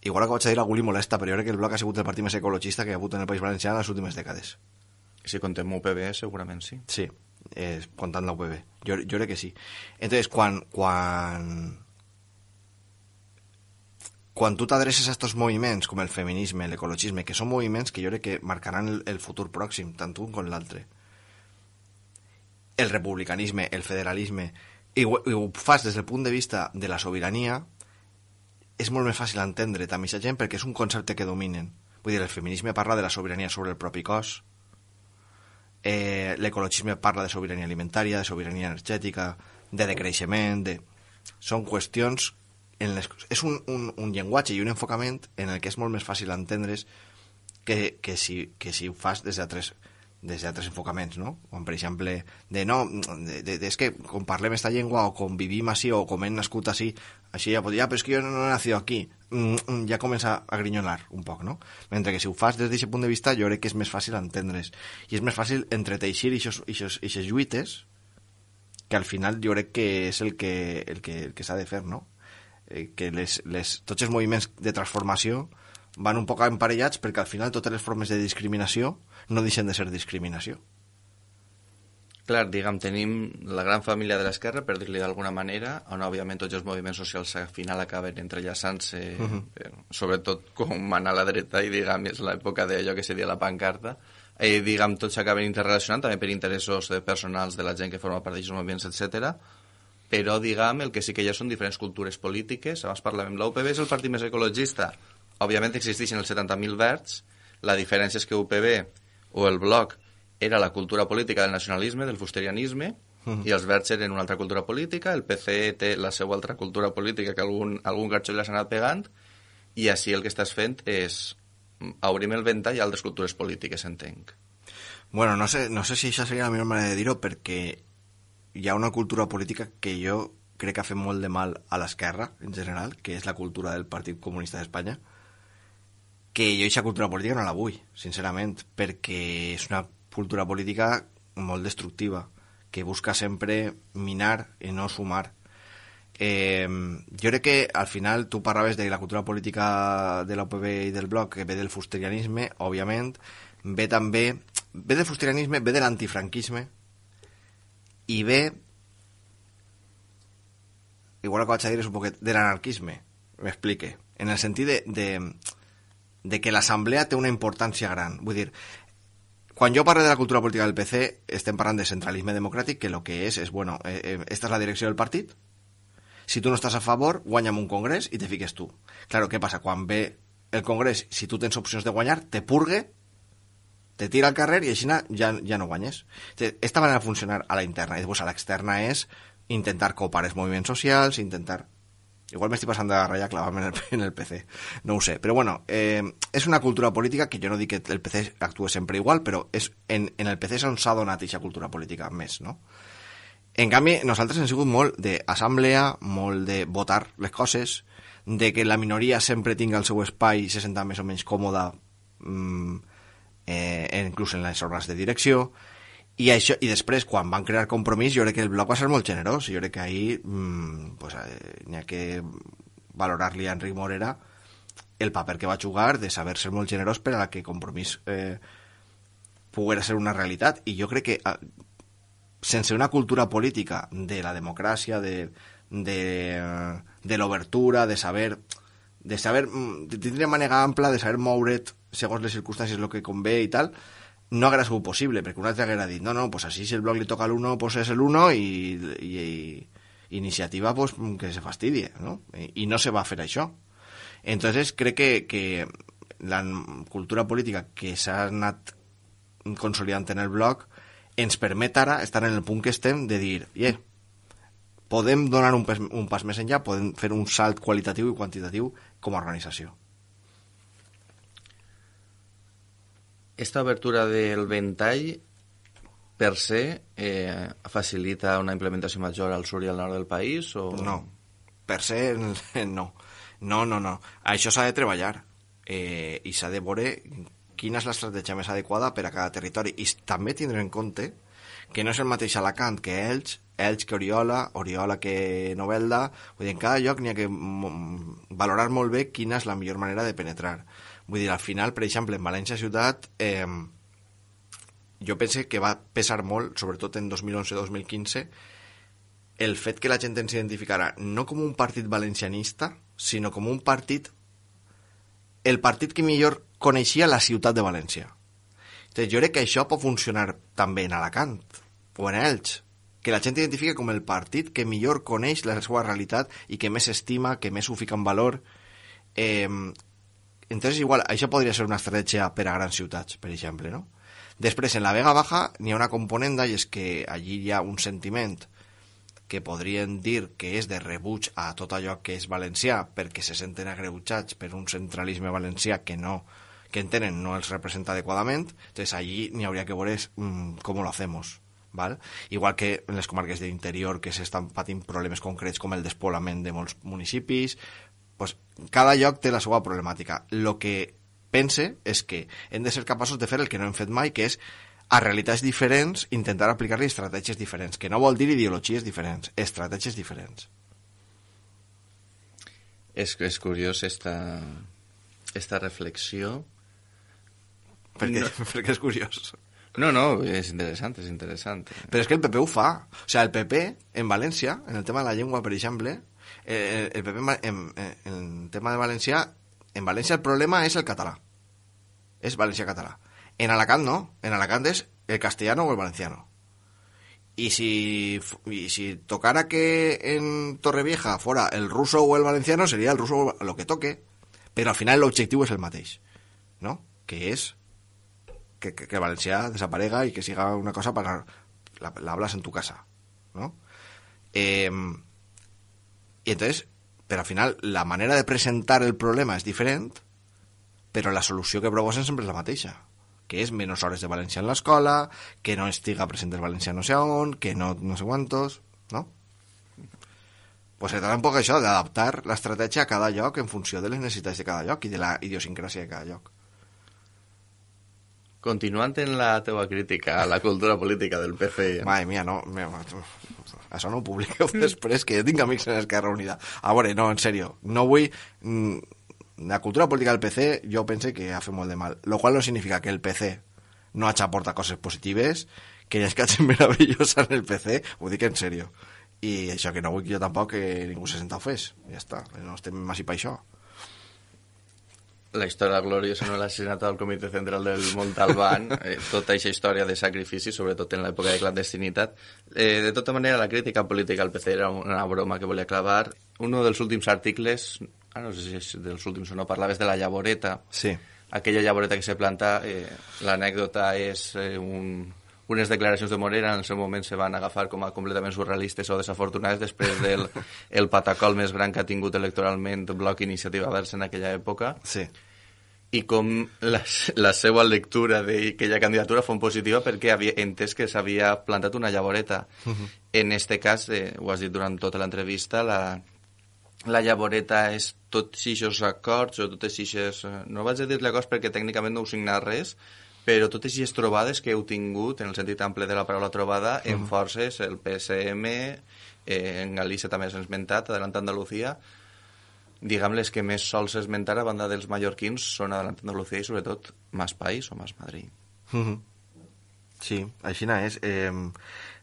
igual que vaig a dir algú li molesta, però jo crec que el Bloc ha sigut el partit més ecologista que hi ha hagut en el País Valencià en les últimes dècades. Si contem U P B, segurament sí. Sí. Eh, comptant la U P B, jo, jo crec que sí. Entonces, quan quan quan tu t'adreces a aquests moviments com el feminisme, l'ecologisme, que són moviments que jo crec que marcaran el, el futur pròxim, tant un com l'altre, el republicanisme, el federalisme, i ho, i ho fas des del punt de vista de la sobirania, és molt més fàcil entendre també aquesta gent perquè és un concepte que dominen. Vull dir, el feminisme parla de la sobirania sobre el propi cos, Eh, l'ecologisme parla de sobirania alimentària, de sobirania energètica, de decreixement, de... són qüestions en les, és un, un, un llenguatge i un enfocament en el que és molt més fàcil entendre's que, que, si, que si ho fas des d'altres des d'altres enfocaments, no? Com, per exemple, de no, de, de, de, és que com parlem esta llengua o com vivim així o com hem nascut així, així ja pot dir, ah, però és que jo no he nacido aquí, mm, ja comença a grinyolar un poc, no? Mentre que si ho fas des d'aquest punt de vista, jo crec que és més fàcil entendre's. I és més fàcil entreteixir aquestes lluites, que al final jo crec que és el que, el que, el que s'ha de fer, no? Eh, que les, les, tots els moviments de transformació van un poc emparellats perquè al final totes les formes de discriminació no deixen de ser discriminació. Clar, diguem, tenim la gran família de l'esquerra, per dir-li d'alguna manera, on òbviament tots els moviments socials al final acaben entrellaçant-se, uh-huh. eh, sobretot com anar a la dreta, i diguem, és l'època d'allò que seria la pancarta, i diguem, tots s'acaben interrelacionant també per interessos personals de la gent que forma part d'aquests moviments, etcètera. Però, diguem, el que sí que hi ha són diferents cultures polítiques. Abans parlàvem, l'U P B és el partit més ecologista. Òbviament existeixen els setanta mil verds, la diferència és que U P B o el Bloc era la cultura política del nacionalisme, del fusterianisme, uh-huh. i els verds eren una altra cultura política, el P C té la seva altra cultura política que algun, algun garxoll l'ha anat pegant, i així el que estàs fent és obrim el ventall a altres cultures polítiques, entenc. Bueno, no sé, no sé si això seria la millor manera de dir-ho, perquè hi ha una cultura política que jo crec que ha fet molt de mal a l'esquerra, en general, que és la cultura del Partit Comunista d'Espanya, que jo aquesta cultura política no la vull, sincerament, perquè és una cultura política molt destructiva, que busca sempre minar i no sumar. Eh, jo crec que al final tu parlaves de la cultura política de l'U P B i del Bloc, que ve del fusterianisme, òbviament, ve també, ve del fusterianisme, ve de l'antifranquisme, i ve, igual que vaig a dir és un poquet, de l'anarquisme, m'explique, en el sentit de, de de que l'assemblea té una importància gran. Vull dir, quan jo parlo de la cultura política del P C, estem parlant de centralisme democràtic, que el que és, és, bueno, eh, esta és la direcció del partit, si tu no estàs a favor, guanya'm un congrés i te fiques tu. Claro, què passa? Quan ve el congrés, si tu tens opcions de guanyar, te purgue, te tira al carrer i així ja, ja no guanyes. Esta manera de funcionar a la interna, i després a l'externa és intentar copar els moviments socials, intentar... Igual m'estic passant de la ratlla clavant en el, en el P C, no ho sé. Però bueno, eh, és una cultura política que jo no dic que el P C actue sempre igual, però és en, en el P C és on s'ha donat aquesta cultura política més, no? En canvi, nosaltres hem sigut molt d'assemblea, molt de votar les coses, de que la minoria sempre tinga el seu espai i se senta més o menys còmoda, mm, eh, inclús en les òrgans de direcció. I, això, i després, quan van crear Compromís, jo crec que el Bloc va ser molt generós. Jo crec que ahir mmm, pues, eh, n'hi ha que valorar-li a Enric Morera el paper que va jugar de saber ser molt generós per a que Compromís eh, poguera ser una realitat. I jo crec que eh, sense una cultura política de la democràcia, de, de, de l'obertura, de saber de saber, de tindre manera ampla, de saber moure't segons les circumstàncies el que convé i tal, no haguera sigut possible, perquè un altre haguera dit no, no, pues así si el Bloc li toca al uno, pues és el uno i, i, i iniciativa pues que se fastidie, ¿no? I, i no se va fer això. Entonces crec que, que la cultura política que s'ha anat consolidant en el Bloc ens permet ara estar en el punt que estem de dir, yeah, podem donar un pas, un pas més enllà, podem fer un salt qualitatiu i quantitatiu com a organització. Esta obertura del ventall per se eh, facilita una implementació major al sud i al nord del país? O... No, per se no. No, no, no. Això s'ha de treballar eh, i s'ha de veure quina és l'estratègia més adequada per a cada territori. I també tindre en compte que no és el mateix Alacant que Elx, Elx que Oriola, Oriola que Novelda. Vull dir, en cada lloc n'hi ha que valorar molt bé quina és la millor manera de penetrar. Vull dir, al final, per exemple, en València ciutat, eh, jo pense que va pesar molt, sobretot en dos mil onze dos mil quinze, el fet que la gent ens identificara no com un partit valencianista, sinó com un partit, el partit que millor coneixia la ciutat de València. Entonces, jo crec que això pot funcionar també en Alacant o en Elx, que la gent identifica com el partit que millor coneix la seva realitat i que més estima, que més ho fica en valor. Eh, Entonces, igual, això podria ser una estratègia per a grans ciutats, per exemple, no? Després, en la Vega Baja, n'hi ha una componenda i és que allí hi ha un sentiment que podrien dir que és de rebuig a tot allò que és valencià perquè se senten agreujats per un centralisme valencià que no que entenen no els representa adequadament, entonces allí n'hi hauria que veure mmm, com lo hacemos, ¿vale? Igual que en les comarques de l'interior que s'estan patint problemes concrets com el despoblament de molts municipis, pues, cada lloc té la seva problemàtica. Lo que pense és que hem de ser capaços de fer el que no hem fet mai, que és a realitats diferents intentar aplicar-li estratègies diferents, que no vol dir ideologies diferents, estratègies diferents. És, és curiós esta, esta reflexió. Perquè, no. perquè és curiós. No, no, és interessant, és interessant. Però és que el P P ho fa. O sigui, el P P en València, en el tema de la llengua, per exemple, el, el P P en, en, en el tema de València, en València el problema és el català. És valencià-català. En Alacant no, en Alacant es el castellano o el valenciano. Y si, y si tocara que en Torrevieja fuera el ruso o el valenciano, sería el ruso lo que toque, pero al final el objetivo es el mateix, ¿no? Que es que, que, que el valencià desaparega y que siga una cosa para la, la hablas en tu casa, ¿no? Eh, y entonces, pero al final la manera de presentar el problema es diferent, però la solució que proposen sempre és la mateixa, que és menys hores de valencià en l'escola, que no estiga present el valencià no sé on, que no, no sé quantos, no? Pues se trata un poc això, d'adaptar l'estratègia a cada lloc en funció de les necessitats de cada lloc i de la idiosincràsia de cada lloc. Continuant en la teva crítica a la cultura política del P C... Madre mía, no... Me, això no ho publiqueu després, que jo tinc amics en Esquerra Unida. A veure, no, en sèrio, no vull... La cultura política del P C jo pense que ha fet molt de mal, lo cual no significa que el P C no hagi aportat coses positives, que hi ha escatges meravellosa en el P C, ho dic en sèrio. I això que no vull jo tampoc que ningú se senta ofès, ja està, no estem més i per això. La història gloriosa no l'assassinat del Comitè Central del Montalbán, eh, tota aquesta història de sacrifici, sobretot en l'època de clandestinitat. Eh, de tota manera, la crítica política al P C era una broma que volia clavar. Uno dels últims articles, ah, no sé si és dels últims o no, parlaves de la llavoreta. Sí. Aquella llavoreta que se planta, eh, l'anècdota és eh, un, unes declaracions de Morera en el seu moment se van agafar com a completament surrealistes o desafortunades després del el patacol més gran que ha tingut electoralment Bloc Iniciativa Verds en aquella època. Sí. I com la, la seva lectura d'aquella candidatura fou positiva perquè havia entès que s'havia plantat una llavoreta. Uh-huh. En este cas, eh, ho has dit durant tota l'entrevista, la, la llavoreta és tots aquests acords o totes aquestes... No vaig a dir-li acords perquè tècnicament no heu signat res, però totes aquestes trobades que heu tingut, en el sentit ample de la paraula trobada, uh-huh. en forces, el P S M, eh, en Galícia també s'ha esmentat, Adelant Andalucía, diguem les que més sols esmentar a banda dels mallorquins són Adelant Andalucía i sobretot Mas País o Mas Madrid. Uh-huh. Sí, així és. Eh,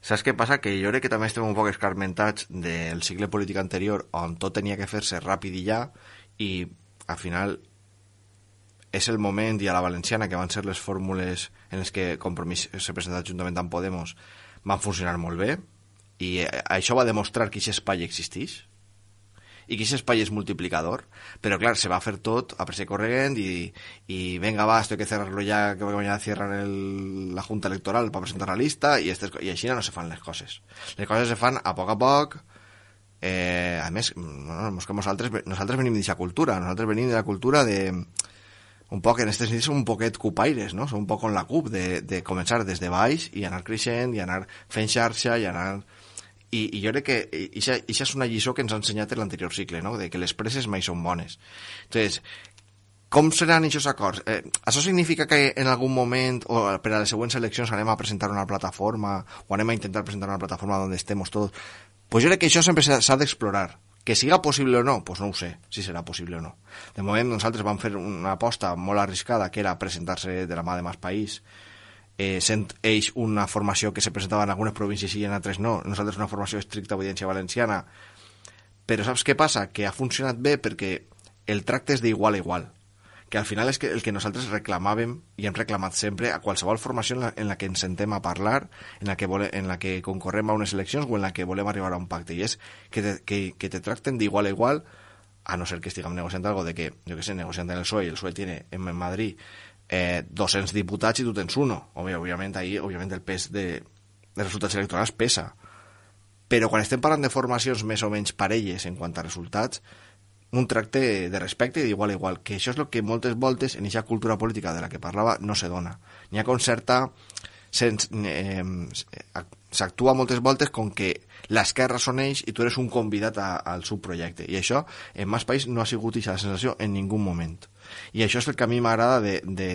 saps què passa? Que jo crec que també estem un poc escarmentats del cicle polític anterior on tot tenia que fer-se ràpid i ja, i al final és el moment, i a la valenciana, que van ser les fórmules en les que Compromís s'ha presentat juntament amb Podemos, van funcionar molt bé, i això va demostrar que aquest espai existeix, i que aquest espai és multiplicador, però clar, se va fer tot a pressa i corregent i, i venga va, esto hay que cerrarlo ya, que mañana cierran el, la junta electoral para presentar la lista, i, estes, i així no se fan les coses. Les coses se fan a poc a poc. Eh, a més, no, no, que nosaltres, nosaltres venim d'aquesta cultura, nosaltres venim de la cultura de un poc, en aquests nits som un poquet cupaires, no? Som un poc con la cup, de, de començar des de baix i anar creixent, i anar fent xarxa, i anar... I, i jo crec que això és una lliçó que ens ha ensenyat en l'anterior cicle, no? De que les preses mai són bones. Entonces, com seran aquests acords? Eh, això significa que en algun moment, o per a les següents eleccions, anem a presentar una plataforma, o anem a intentar presentar una plataforma on estemos tots? Pues jo crec que això sempre s'ha d'explorar. Que siga possible o no, pues no ho sé, si serà possible o no. De moment, nosaltres vam fer una aposta molt arriscada, que era presentar-se de la mà de Mas País, eh, sent ells una formació que se presentava en algunes províncies i en altres no, nosaltres una formació estricta obediència valenciana, però saps què passa? Que ha funcionat bé perquè el tracte és d'igual a igual, que al final és que el que nosaltres reclamàvem i hem reclamat sempre a qualsevol formació en la, en la que ens sentem a parlar, en la que, vole, en la que concorrem a unes eleccions o en la que volem arribar a un pacte, i és que te, que, que te tracten d'igual a igual, a no ser que estiguem negociant algo de que, jo que sé, negociant en el P S O E, i el P S O E tiene en Madrid eh, doscientos diputats i tu tens uno. Obvi, òbviament, ahí, òbviament, el pes de, de resultats electorals pesa. però quan estem parlant de formacions més o menys parelles en quant a resultats, un tracte de respecte i d'igual a igual, que això és el que moltes voltes en aquesta cultura política de la que parlava no se dona. N'hi ha com certa... Sens, eh, s'actua moltes voltes com que l'esquerra són ells i tu eres un convidat a, al seu projecte, i això en més país no ha sigut aquesta sensació en ningú moment, i això és el que a mi m'agrada de, de,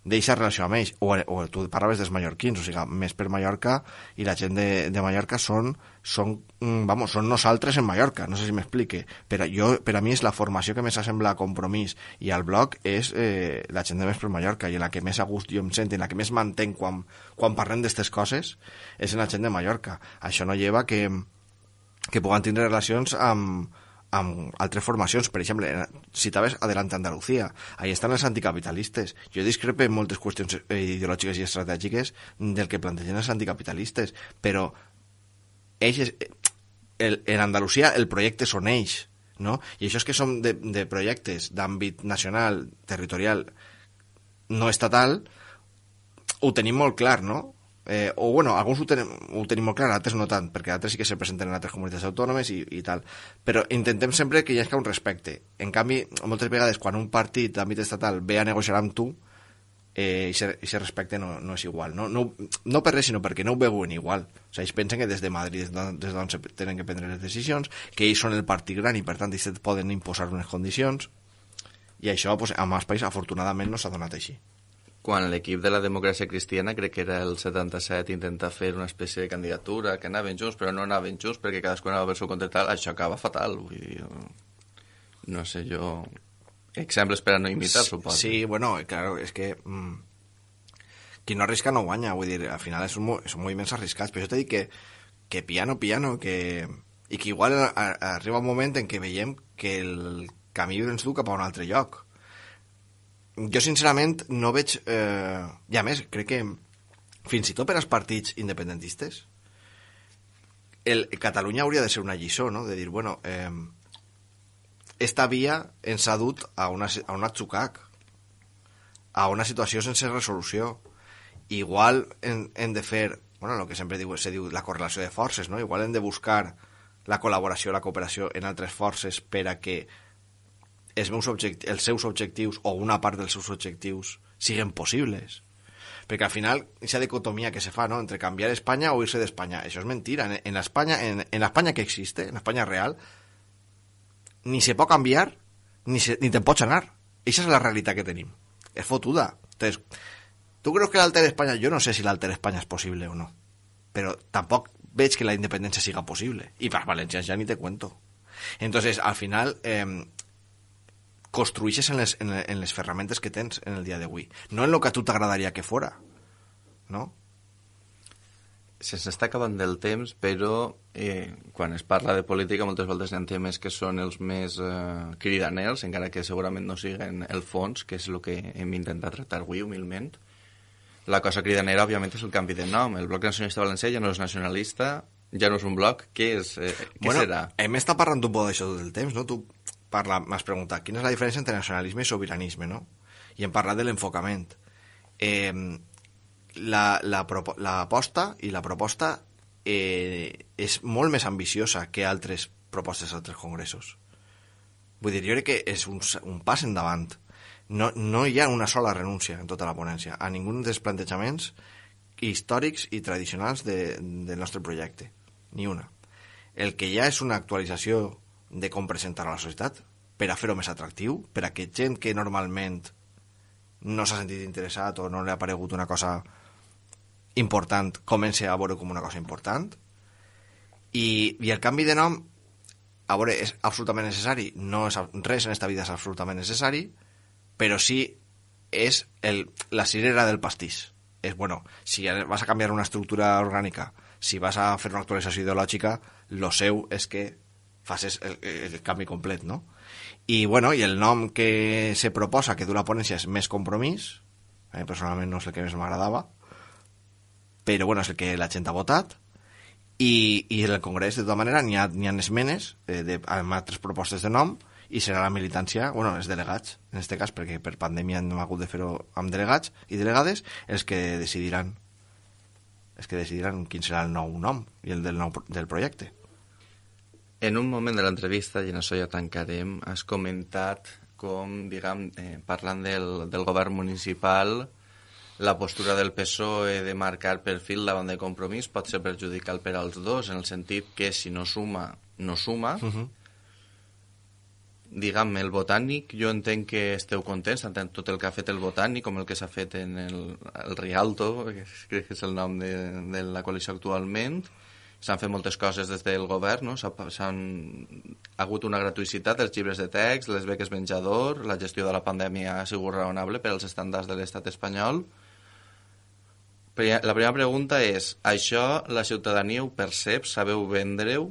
d'eixa relació amb ells. O, o tu parlaves dels mallorquins, o sigui, més per Mallorca, i la gent de, de Mallorca són, són, vamos, són nosaltres en Mallorca, no sé si m'explique, però jo, per a mi és la formació que més s'assembla a Compromís i al blog és eh, la gent de més per Mallorca, i la que més a gust jo em sent, en la que més m'entenc quan, quan parlem d'aquestes coses, és en la gent de Mallorca. Això no lleva que, que puguen tindre relacions amb amb altres formacions. Per exemple, citaves Adelante Andalucía, ahí estan els anticapitalistes. Jo discrepo en moltes qüestions ideològiques i estratègiques del que plantegen els anticapitalistes, però ells, el, en Andalusia el projecte són ells, no? I això és que som de, de projectes d'àmbit nacional, territorial, no estatal, ho tenim molt clar, no? Eh, o bueno, alguns ho tenim, ho tenim molt clar, altres no tant, perquè altres sí que se presenten en altres comunitats autònomes i, i tal, però intentem sempre que hi hagi un respecte. En canvi, moltes vegades quan un partit d'àmbit estatal ve a negociar amb tu, eh, aquest respecte no, no és igual, no? No, no per res, sinó perquè no ho veuen igual. O sigui, ells pensen que des de Madrid, des d'on se tenen que prendre les decisions, que ells són el partit gran i per tant ells poden imposar unes condicions, i això pues, a més país afortunadament no s'ha donat així. Quan l'equip de la Democràcia Cristiana, crec que era el setanta-set, intenta fer una espècie de candidatura, que anaven junts, però no anaven junts perquè cadascú anava per seu compte tal, això acaba fatal. Vull dir, no sé, jo... Exemples per a no imitar, sí, suposo. Sí, bueno, claro, és que... Mmm, qui no arrisca no guanya, vull dir, al final són, són moviments arriscats, però jo t'he dit que, que piano, piano, que... i que igual a, a, arriba un moment en què veiem que el camí ens du cap a un altre lloc. Jo, sincerament, no veig... Eh, I, a més, crec que fins i tot per als partits independentistes, el, Catalunya hauria de ser una lliçó, no? De dir, bueno, eh, esta via ens ha dut a, una, a un atzucac, a una situació sense resolució. Igual hem, hem de fer, bueno, el que sempre diu, se diu la correlació de forces, no? Igual hem de buscar la col·laboració, la cooperació en altres forces per a que els, meus objectius, els seus objectius o una part dels seus objectius siguen possibles, perquè al final aquesta dicotomia que se fa, ¿no?, entre canviar Espanya o irse d'Espanya, això és mentira. En, en Espanya, en, en Espanya que existe, en Espanya real, ni se pot canviar ni, se, ni te'n pots anar. Aquesta és la realitat que tenim, és fotuda. Entonces, tu creus que l'alter Espanya? Jo no sé si l'alter Espanya és possible o no, però tampoc veig que la independència siga possible, i per valencians ja ni te cuento. Entonces, al final eh, construïxes en les, en, en les ferramentes que tens en el dia d'avui, no en el que a tu t'agradaria que fora, no? Se'ns està acabant del temps, però eh, quan es parla de política moltes voltes hi ha temes que són els més eh, cridaners, encara que segurament no siguen el fons, que és el que hem intentat tractar avui humilment. La cosa cridanera, òbviament, és el canvi de nom. El Bloc Nacionalista Valencià ja no és nacionalista, ja no és un bloc. Què és? Eh, què bueno, serà? Hem estat parlant un poc d'això tot el temps, no? Tu parla, m'has preguntat quina és la diferència entre nacionalisme i sobiranisme, no? I hem parlat de l'enfocament. Eh, la, la, la aposta i la proposta eh, és molt més ambiciosa que altres propostes d'altres congressos. Vull dir, jo crec que és un, un pas endavant. No, no hi ha una sola renúncia en tota la ponència a ningú dels plantejaments històrics i tradicionals de, del nostre projecte. Ni una. El que hi ha és una actualització de com presentar a la societat per a fer-ho més atractiu, per a que gent que normalment no s'ha sentit interessat o no li ha aparegut una cosa important comenci a veure com una cosa important. I, i el canvi de nom, a veure, és absolutament necessari. No és, res en esta vida és absolutament necessari, però sí és el, la cirera del pastís. És, bueno, si vas a canviar una estructura orgànica, si vas a fer una actualització ideològica, lo seu és que facis el, el canvi complet, no? I, bueno, i el nom que se proposa, que du la ponència, és Més Compromís. A mi personalment no és el que més m'agradava, però, bueno, és el que la gent ha votat. I, i en el Congrés, de tota manera, n'hi ha, n'hi ha esmenes eh, de, amb altres propostes de nom, i serà la militància, bueno, els delegats, en aquest cas, perquè per pandèmia no hem hagut de fer-ho amb delegats i delegades, els que decidiran és que decidiran quin serà el nou nom i el del, nou, del projecte. En un moment de l'entrevista, i en això ja tancarem, has comentat com, diguem, eh, parlant del, del govern municipal, la postura del P S O E de marcar perfil davant de Compromís pot ser perjudicial per als dos, en el sentit que si no suma, no suma. Uh-huh. Diguem, el Botànic, jo entenc que esteu contents, tant tot el que ha fet el Botànic com el que s'ha fet en el, el Rialto, que crec que és el nom de, de la coalició actualment. S'han fet moltes coses des del govern, no? S'han ha hagut una gratuïcitat dels llibres de text, les beques menjador, la gestió de la pandèmia ha sigut raonable per als estàndards de l'estat espanyol. La primera pregunta és, això la ciutadania ho percep, sabeu vendre-ho?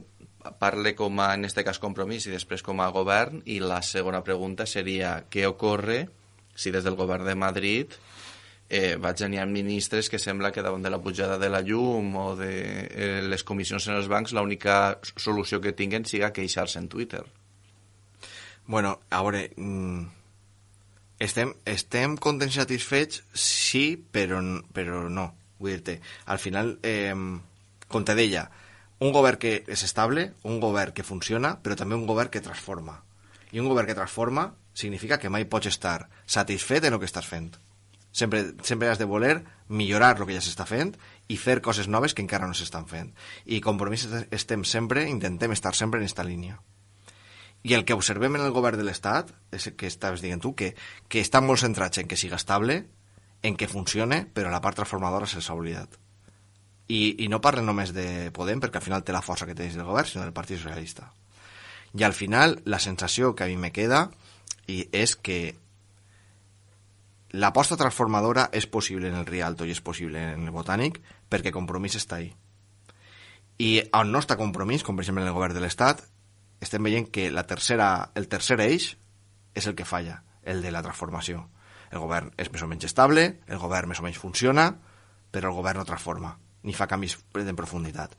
Parle com a, en este cas, Compromís i després com a govern. I la segona pregunta seria, què ocorre si des del govern de Madrid Eh, vaig tenir ministres que sembla que davant de la pujada de la llum o de eh, les comissions en els bancs l'única solució que tinguen siga queixar-se en Twitter. Bueno, a veure, mm, estem, estem contents i satisfets, sí, però, però no. Vull dir-te, al final, eh, com te deia, un govern que és estable, un govern que funciona, però també un govern que transforma. I un govern que transforma significa que mai pots estar satisfet en el que estàs fent. Sempre, sempre has de voler millorar el que ja s'està fent i fer coses noves que encara no s'estan fent. I Compromís estem sempre, intentem estar sempre en aquesta línia. I el que observem en el govern de l'Estat, és el que estaves dient tu, que, que estan molt centrats en que siga estable, en que funcione, però la part transformadora se'ls ha oblidat. I, I no parlen només de Podem, perquè al final té la força que té del govern, sinó del Partit Socialista. I al final, la sensació que a mi me queda i és que l'aposta transformadora és possible en el Rialto i és possible en el Botànic perquè Compromís està ahí. I on no està Compromís, com per exemple en el govern de l'Estat, estem veient que la tercera, el tercer eix és el que falla, el de la transformació. El govern és més o menys estable, el govern més o menys funciona, però el govern no transforma, ni fa canvis en profunditat.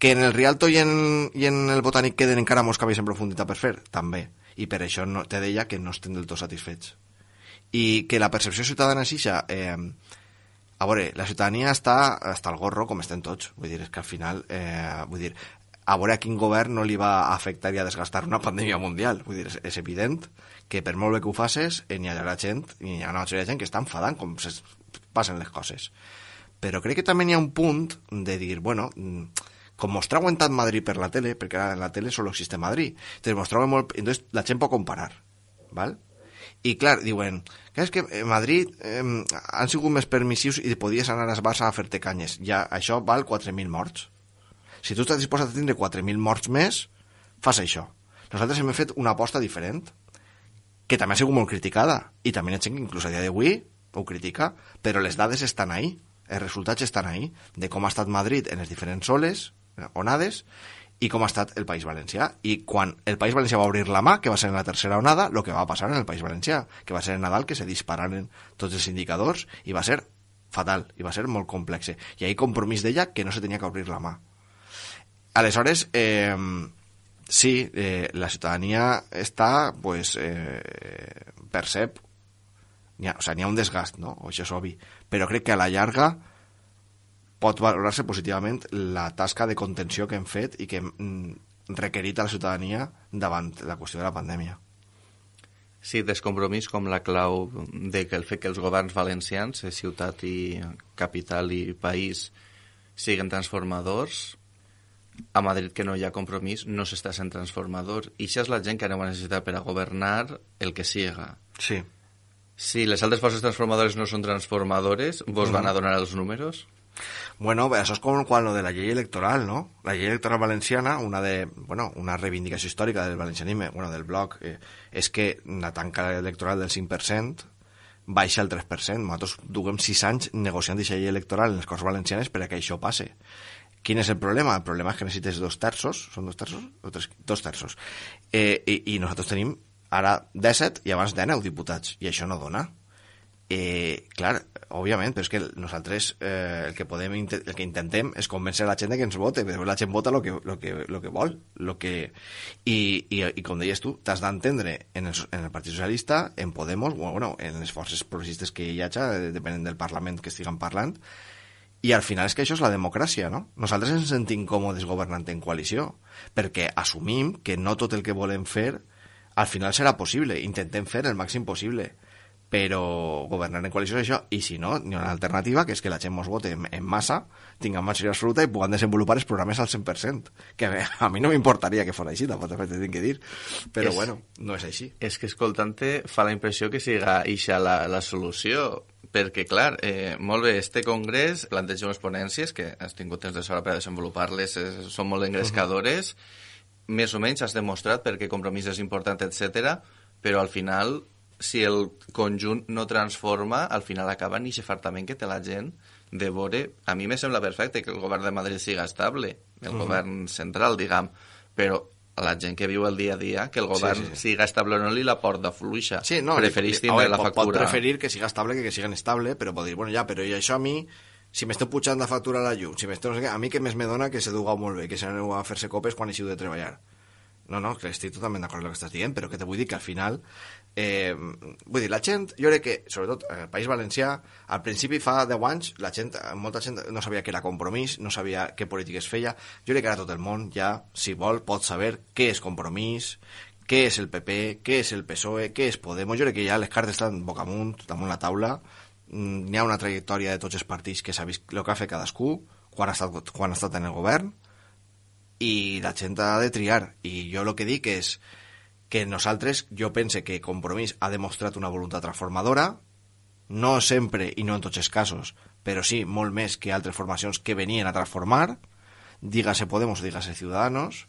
Que en el Rialto i en, i en el Botànic queden encara molts canvis en profunditat per fer, també. I per això no, te deia que no estem del tot satisfets. I que la percepció ciutadana és ixa, eh, a veure, la ciutadania està, està al gorro com estem tots, vull dir, és que al final, eh, vull dir, a veure a quin govern no li va afectar i a desgastar una pandèmia mundial, vull dir, és, és evident que per molt bé que ho facis, eh, n'hi ha gent, n'hi ha una majoria de gent que està enfadant com se passen les coses. Però crec que també n'hi ha un punt de dir, bueno, com mos trau en tant Madrid per la tele, perquè ara en la tele solo existe Madrid, entonces mos trau molt, entonces la gent pot comparar, val? I clar, diuen, que és que a Madrid eh, han sigut més permissius i podies anar a Barça a fer-te canyes. Ja, això val quatre mil morts. Si tu estàs disposat a tindre quatre mil morts més, fas això. Nosaltres hem fet una aposta diferent, que també ha sigut molt criticada, i també hi ha gent que inclús a dia d'avui ho critica, però les dades estan ahí, els resultats estan ahí, de com ha estat Madrid en les diferents oles, onades, i com ha estat el País Valencià. I quan el País Valencià va obrir la mà, que va ser en la tercera onada, el que va passar en el País Valencià, que va ser en Nadal que se dispararen tots els indicadors i va ser fatal, i va ser molt complex. I ahí Compromís deia que no se tenia que obrir la mà. Aleshores, eh, sí, eh, la ciutadania està, pues, eh, percep, n'hi ha, o sea, n'hi ha un desgast, no? O això és obvi, però crec que a la llarga pot valorar-se positivament la tasca de contenció que hem fet i que hem requerit a la ciutadania davant la qüestió de la pandèmia. Sí, Compromís com la clau de que el fet que els governs valencians, ciutat i capital i país, siguin transformadors. A Madrid, que no hi ha Compromís, no s'està sent transformador. I això és la gent que anem a necessitar per a governar el que siga. Sí. Si les altres forces transformadores no són transformadores, vos mm. van a donar els números? Bueno, això és com quan lo de la llei electoral, ¿no? La llei electoral valenciana, una de, bueno, una reivindicació històrica del valencianisme, bueno, del bloc, eh, és que la tanca electoral del cinc per cent baixa el tres per cent. Nosaltres duguem sis anys negociant aquesta llei electoral en les Corts Valencianes per a que això passe. Quin és el problema? El problema és que necessites dos terços, són dos terços? O tres, dos terços. Eh, i, I nosaltres tenim ara disset i abans dinou diputats, i això no dona. Eh, clar, òbviament, però és que nosaltres eh, el que podem el que intentem és convèncer la gent que ens vote, però la gent vota el que, lo que, lo que vol lo que... I, i, i com deies tu, t'has d'entendre en, el, en el Partit Socialista, en Podemos, bueno, en les forces progressistes que hi hagi, depenent del Parlament que estiguen parlant, I al final és que això és la democràcia, no? Nosaltres ens sentim còmodes governant en coalició, perquè assumim que no tot el que volem fer al final serà possible. Intentem fer el màxim possible, però governar en coalició és això, i si no, hi ha una alternativa, que és que la gent mos vote en, en massa, tinguem majoria absoluta i puguem desenvolupar els programes al cent per cent, que a mi no m'importaria que fos així, tampoc t'he de dir, però és, bueno, no és així. És que escoltant-te fa la impressió que siga ixa la, la solució, perquè, clar, eh, molt bé, este congrés planteja unes ponències que has tingut temps de sobra per desenvolupar-les, eh, són molt engrescadores, uh-huh. més o menys has demostrat perquè compromís és important, etcètera, però al final, si el conjunt no transforma, al final acaba ni xafartament que té la gent de veure... A mi me sembla perfecte que el govern de Madrid siga estable, el uh-huh. govern central, diguem, però a la gent que viu el dia a dia, que el govern sí, sí, sí. siga estable o no li la porta fluixa. Sí, no, preferís tindre veure, la pot, factura... Pot preferir que siga estable que que siga inestable, però pot dir, bueno, ja, però i això a mi, si m'esteu pujant la factura a la llum, si m'esteu no sé què, a mi que més me dona que se dugueu molt bé, que se n'aneu a fer-se copes quan eixiu de treballar. No, no, que estic totalment d'acord amb el que estàs dient, però que te vull dir que al final... Eh, vull dir, la gent, jo crec que, sobretot en el País Valencià, al principi fa deu anys, la gent, molta gent no sabia què era Compromís, no sabia què polítiques feia. Jo crec que ara tot el món ja, si vol, pot saber què és Compromís, què és el P P, què és el P S O E, què és Podemos. Jo crec que ja les cartes estan boca amunt, damunt la taula. N'hi ha una trajectòria de tots els partits que s'ha vist el que ha fet cadascú quan ha estat, quan ha estat en el govern, i la gent ha de triar. I jo el que dic és que nosaltres, jo pense que Compromís ha demostrat una voluntat transformadora, no sempre i no en tots els casos, però sí molt més que altres formacions que venien a transformar, dígase Podemos, dígase Ciudadanos,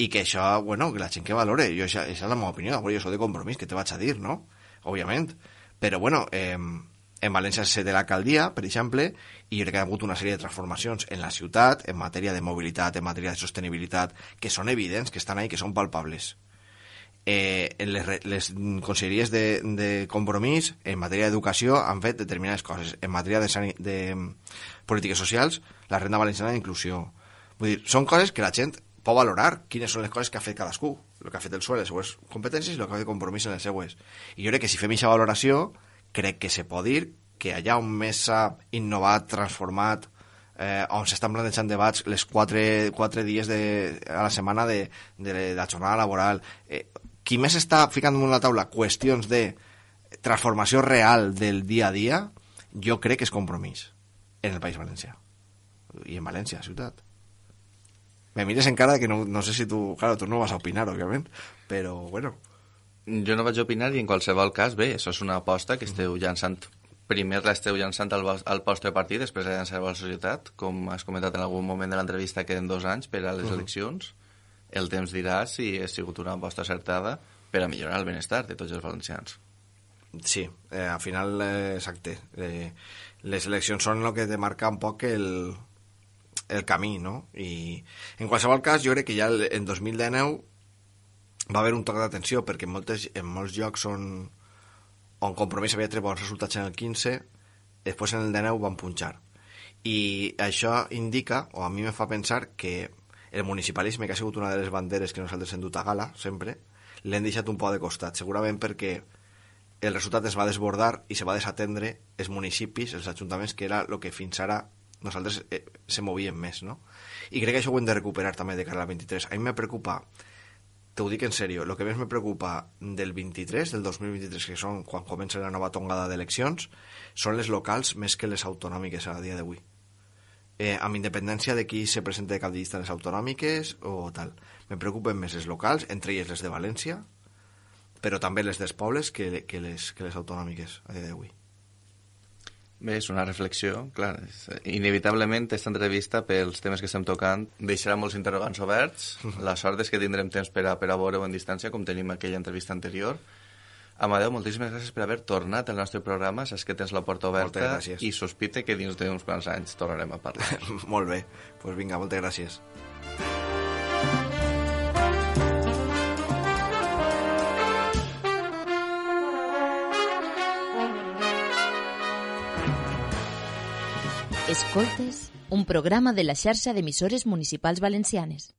i que això, bueno, que la gent que valore, jo, això, això és la meva opinió, jo soc de Compromís, que te vaig a dir, no? Òbviament, però bueno, eh, en València se té l'alcaldia, per exemple, i jo crec que ha hagut una sèrie de transformacions en la ciutat, en matèria de mobilitat, en matèria de sostenibilitat, que són evidents, que estan ahí, que són palpables. Eh, en les, les conselleries de, de Compromís, en matèria d'educació, han fet determinades coses. En matèria de, sani, de polítiques socials, la renda valenciana d'inclusió. Vull dir, són coses que la gent pot valorar, quines són les coses que ha fet cadascú, el que ha fet el S O E, les seues competències, i el que ha fet Compromís en les seues. I jo crec que si fem aquesta valoració, crec que se pot dir que allà on més s'ha innovat, transformat, eh, on s'estan plantejant debats les quatre, quatre dies de, a la setmana de, de la jornada laboral, eh, qui més està ficant damunt la taula qüestions de transformació real del dia a dia, jo crec que és Compromís en el País Valencià i en València, ciutat. Me mires encara que no, no sé si tu, claro, tu no vas a opinar, òbviament, però bueno. Jo no vaig opinar i en qualsevol cas, bé, això és una aposta que esteu llançant. Primer l'esteu llançant al, al vostre partit, després la llançareu a la societat, com has comentat en algun moment de l'entrevista, queden dos anys per a les uh-huh. eleccions. El temps dirà si ha sigut una aposta acertada per a millorar el benestar de tots els valencians. Sí, eh, al final, eh, exacte. Eh, les eleccions són el que te marca un poc el, el camí, no? I en qualsevol cas, jo crec que ja en dos mil dinou va haver un toc d'atenció, perquè en, moltes, en molts llocs on, on Compromís havia tret bons resultats en el quinze, després en el dinou van punxar. I això indica, o a mi me fa pensar, que el municipalisme, que ha sigut una de les banderes que nosaltres hem dut a gala, sempre, l'hem deixat un poc de costat, segurament perquè el resultat es va desbordar i se va desatendre els municipis, els ajuntaments, que era el que fins ara nosaltres eh, se movien més, no? I crec que això ho hem de recuperar també de cara al vint-i-tres. A mi me preocupa, te ho dic en sèrio, el que més me preocupa del vint-i-tres, del dos mil vint-i-tres, que són quan comença la nova tongada d'eleccions, són les locals més que les autonòmiques a dia d'avui. Eh, amb independència de qui se presenta de cap de llista les autonòmiques o tal. Me preocupen més les locals, entre elles les de València, però també les dels pobles que, que, les, que les autonòmiques a dia d'avui. Bé, és una reflexió, clar. Inevitablement, aquesta entrevista, pels temes que estem tocant, deixarà molts interrogants oberts. La sort és que tindrem temps per a, per a veure-ho en distància, com tenim aquella entrevista anterior. Amadeu, moltíssimes gràcies per haver tornat al nostre programa. Saps que tens la porta oberta i sospite que dins d'uns quants anys tornarem a parlar. Molt bé, doncs pues vinga, moltes gràcies. Escoltes, un programa de la xarxa d'emissores municipals valencianes.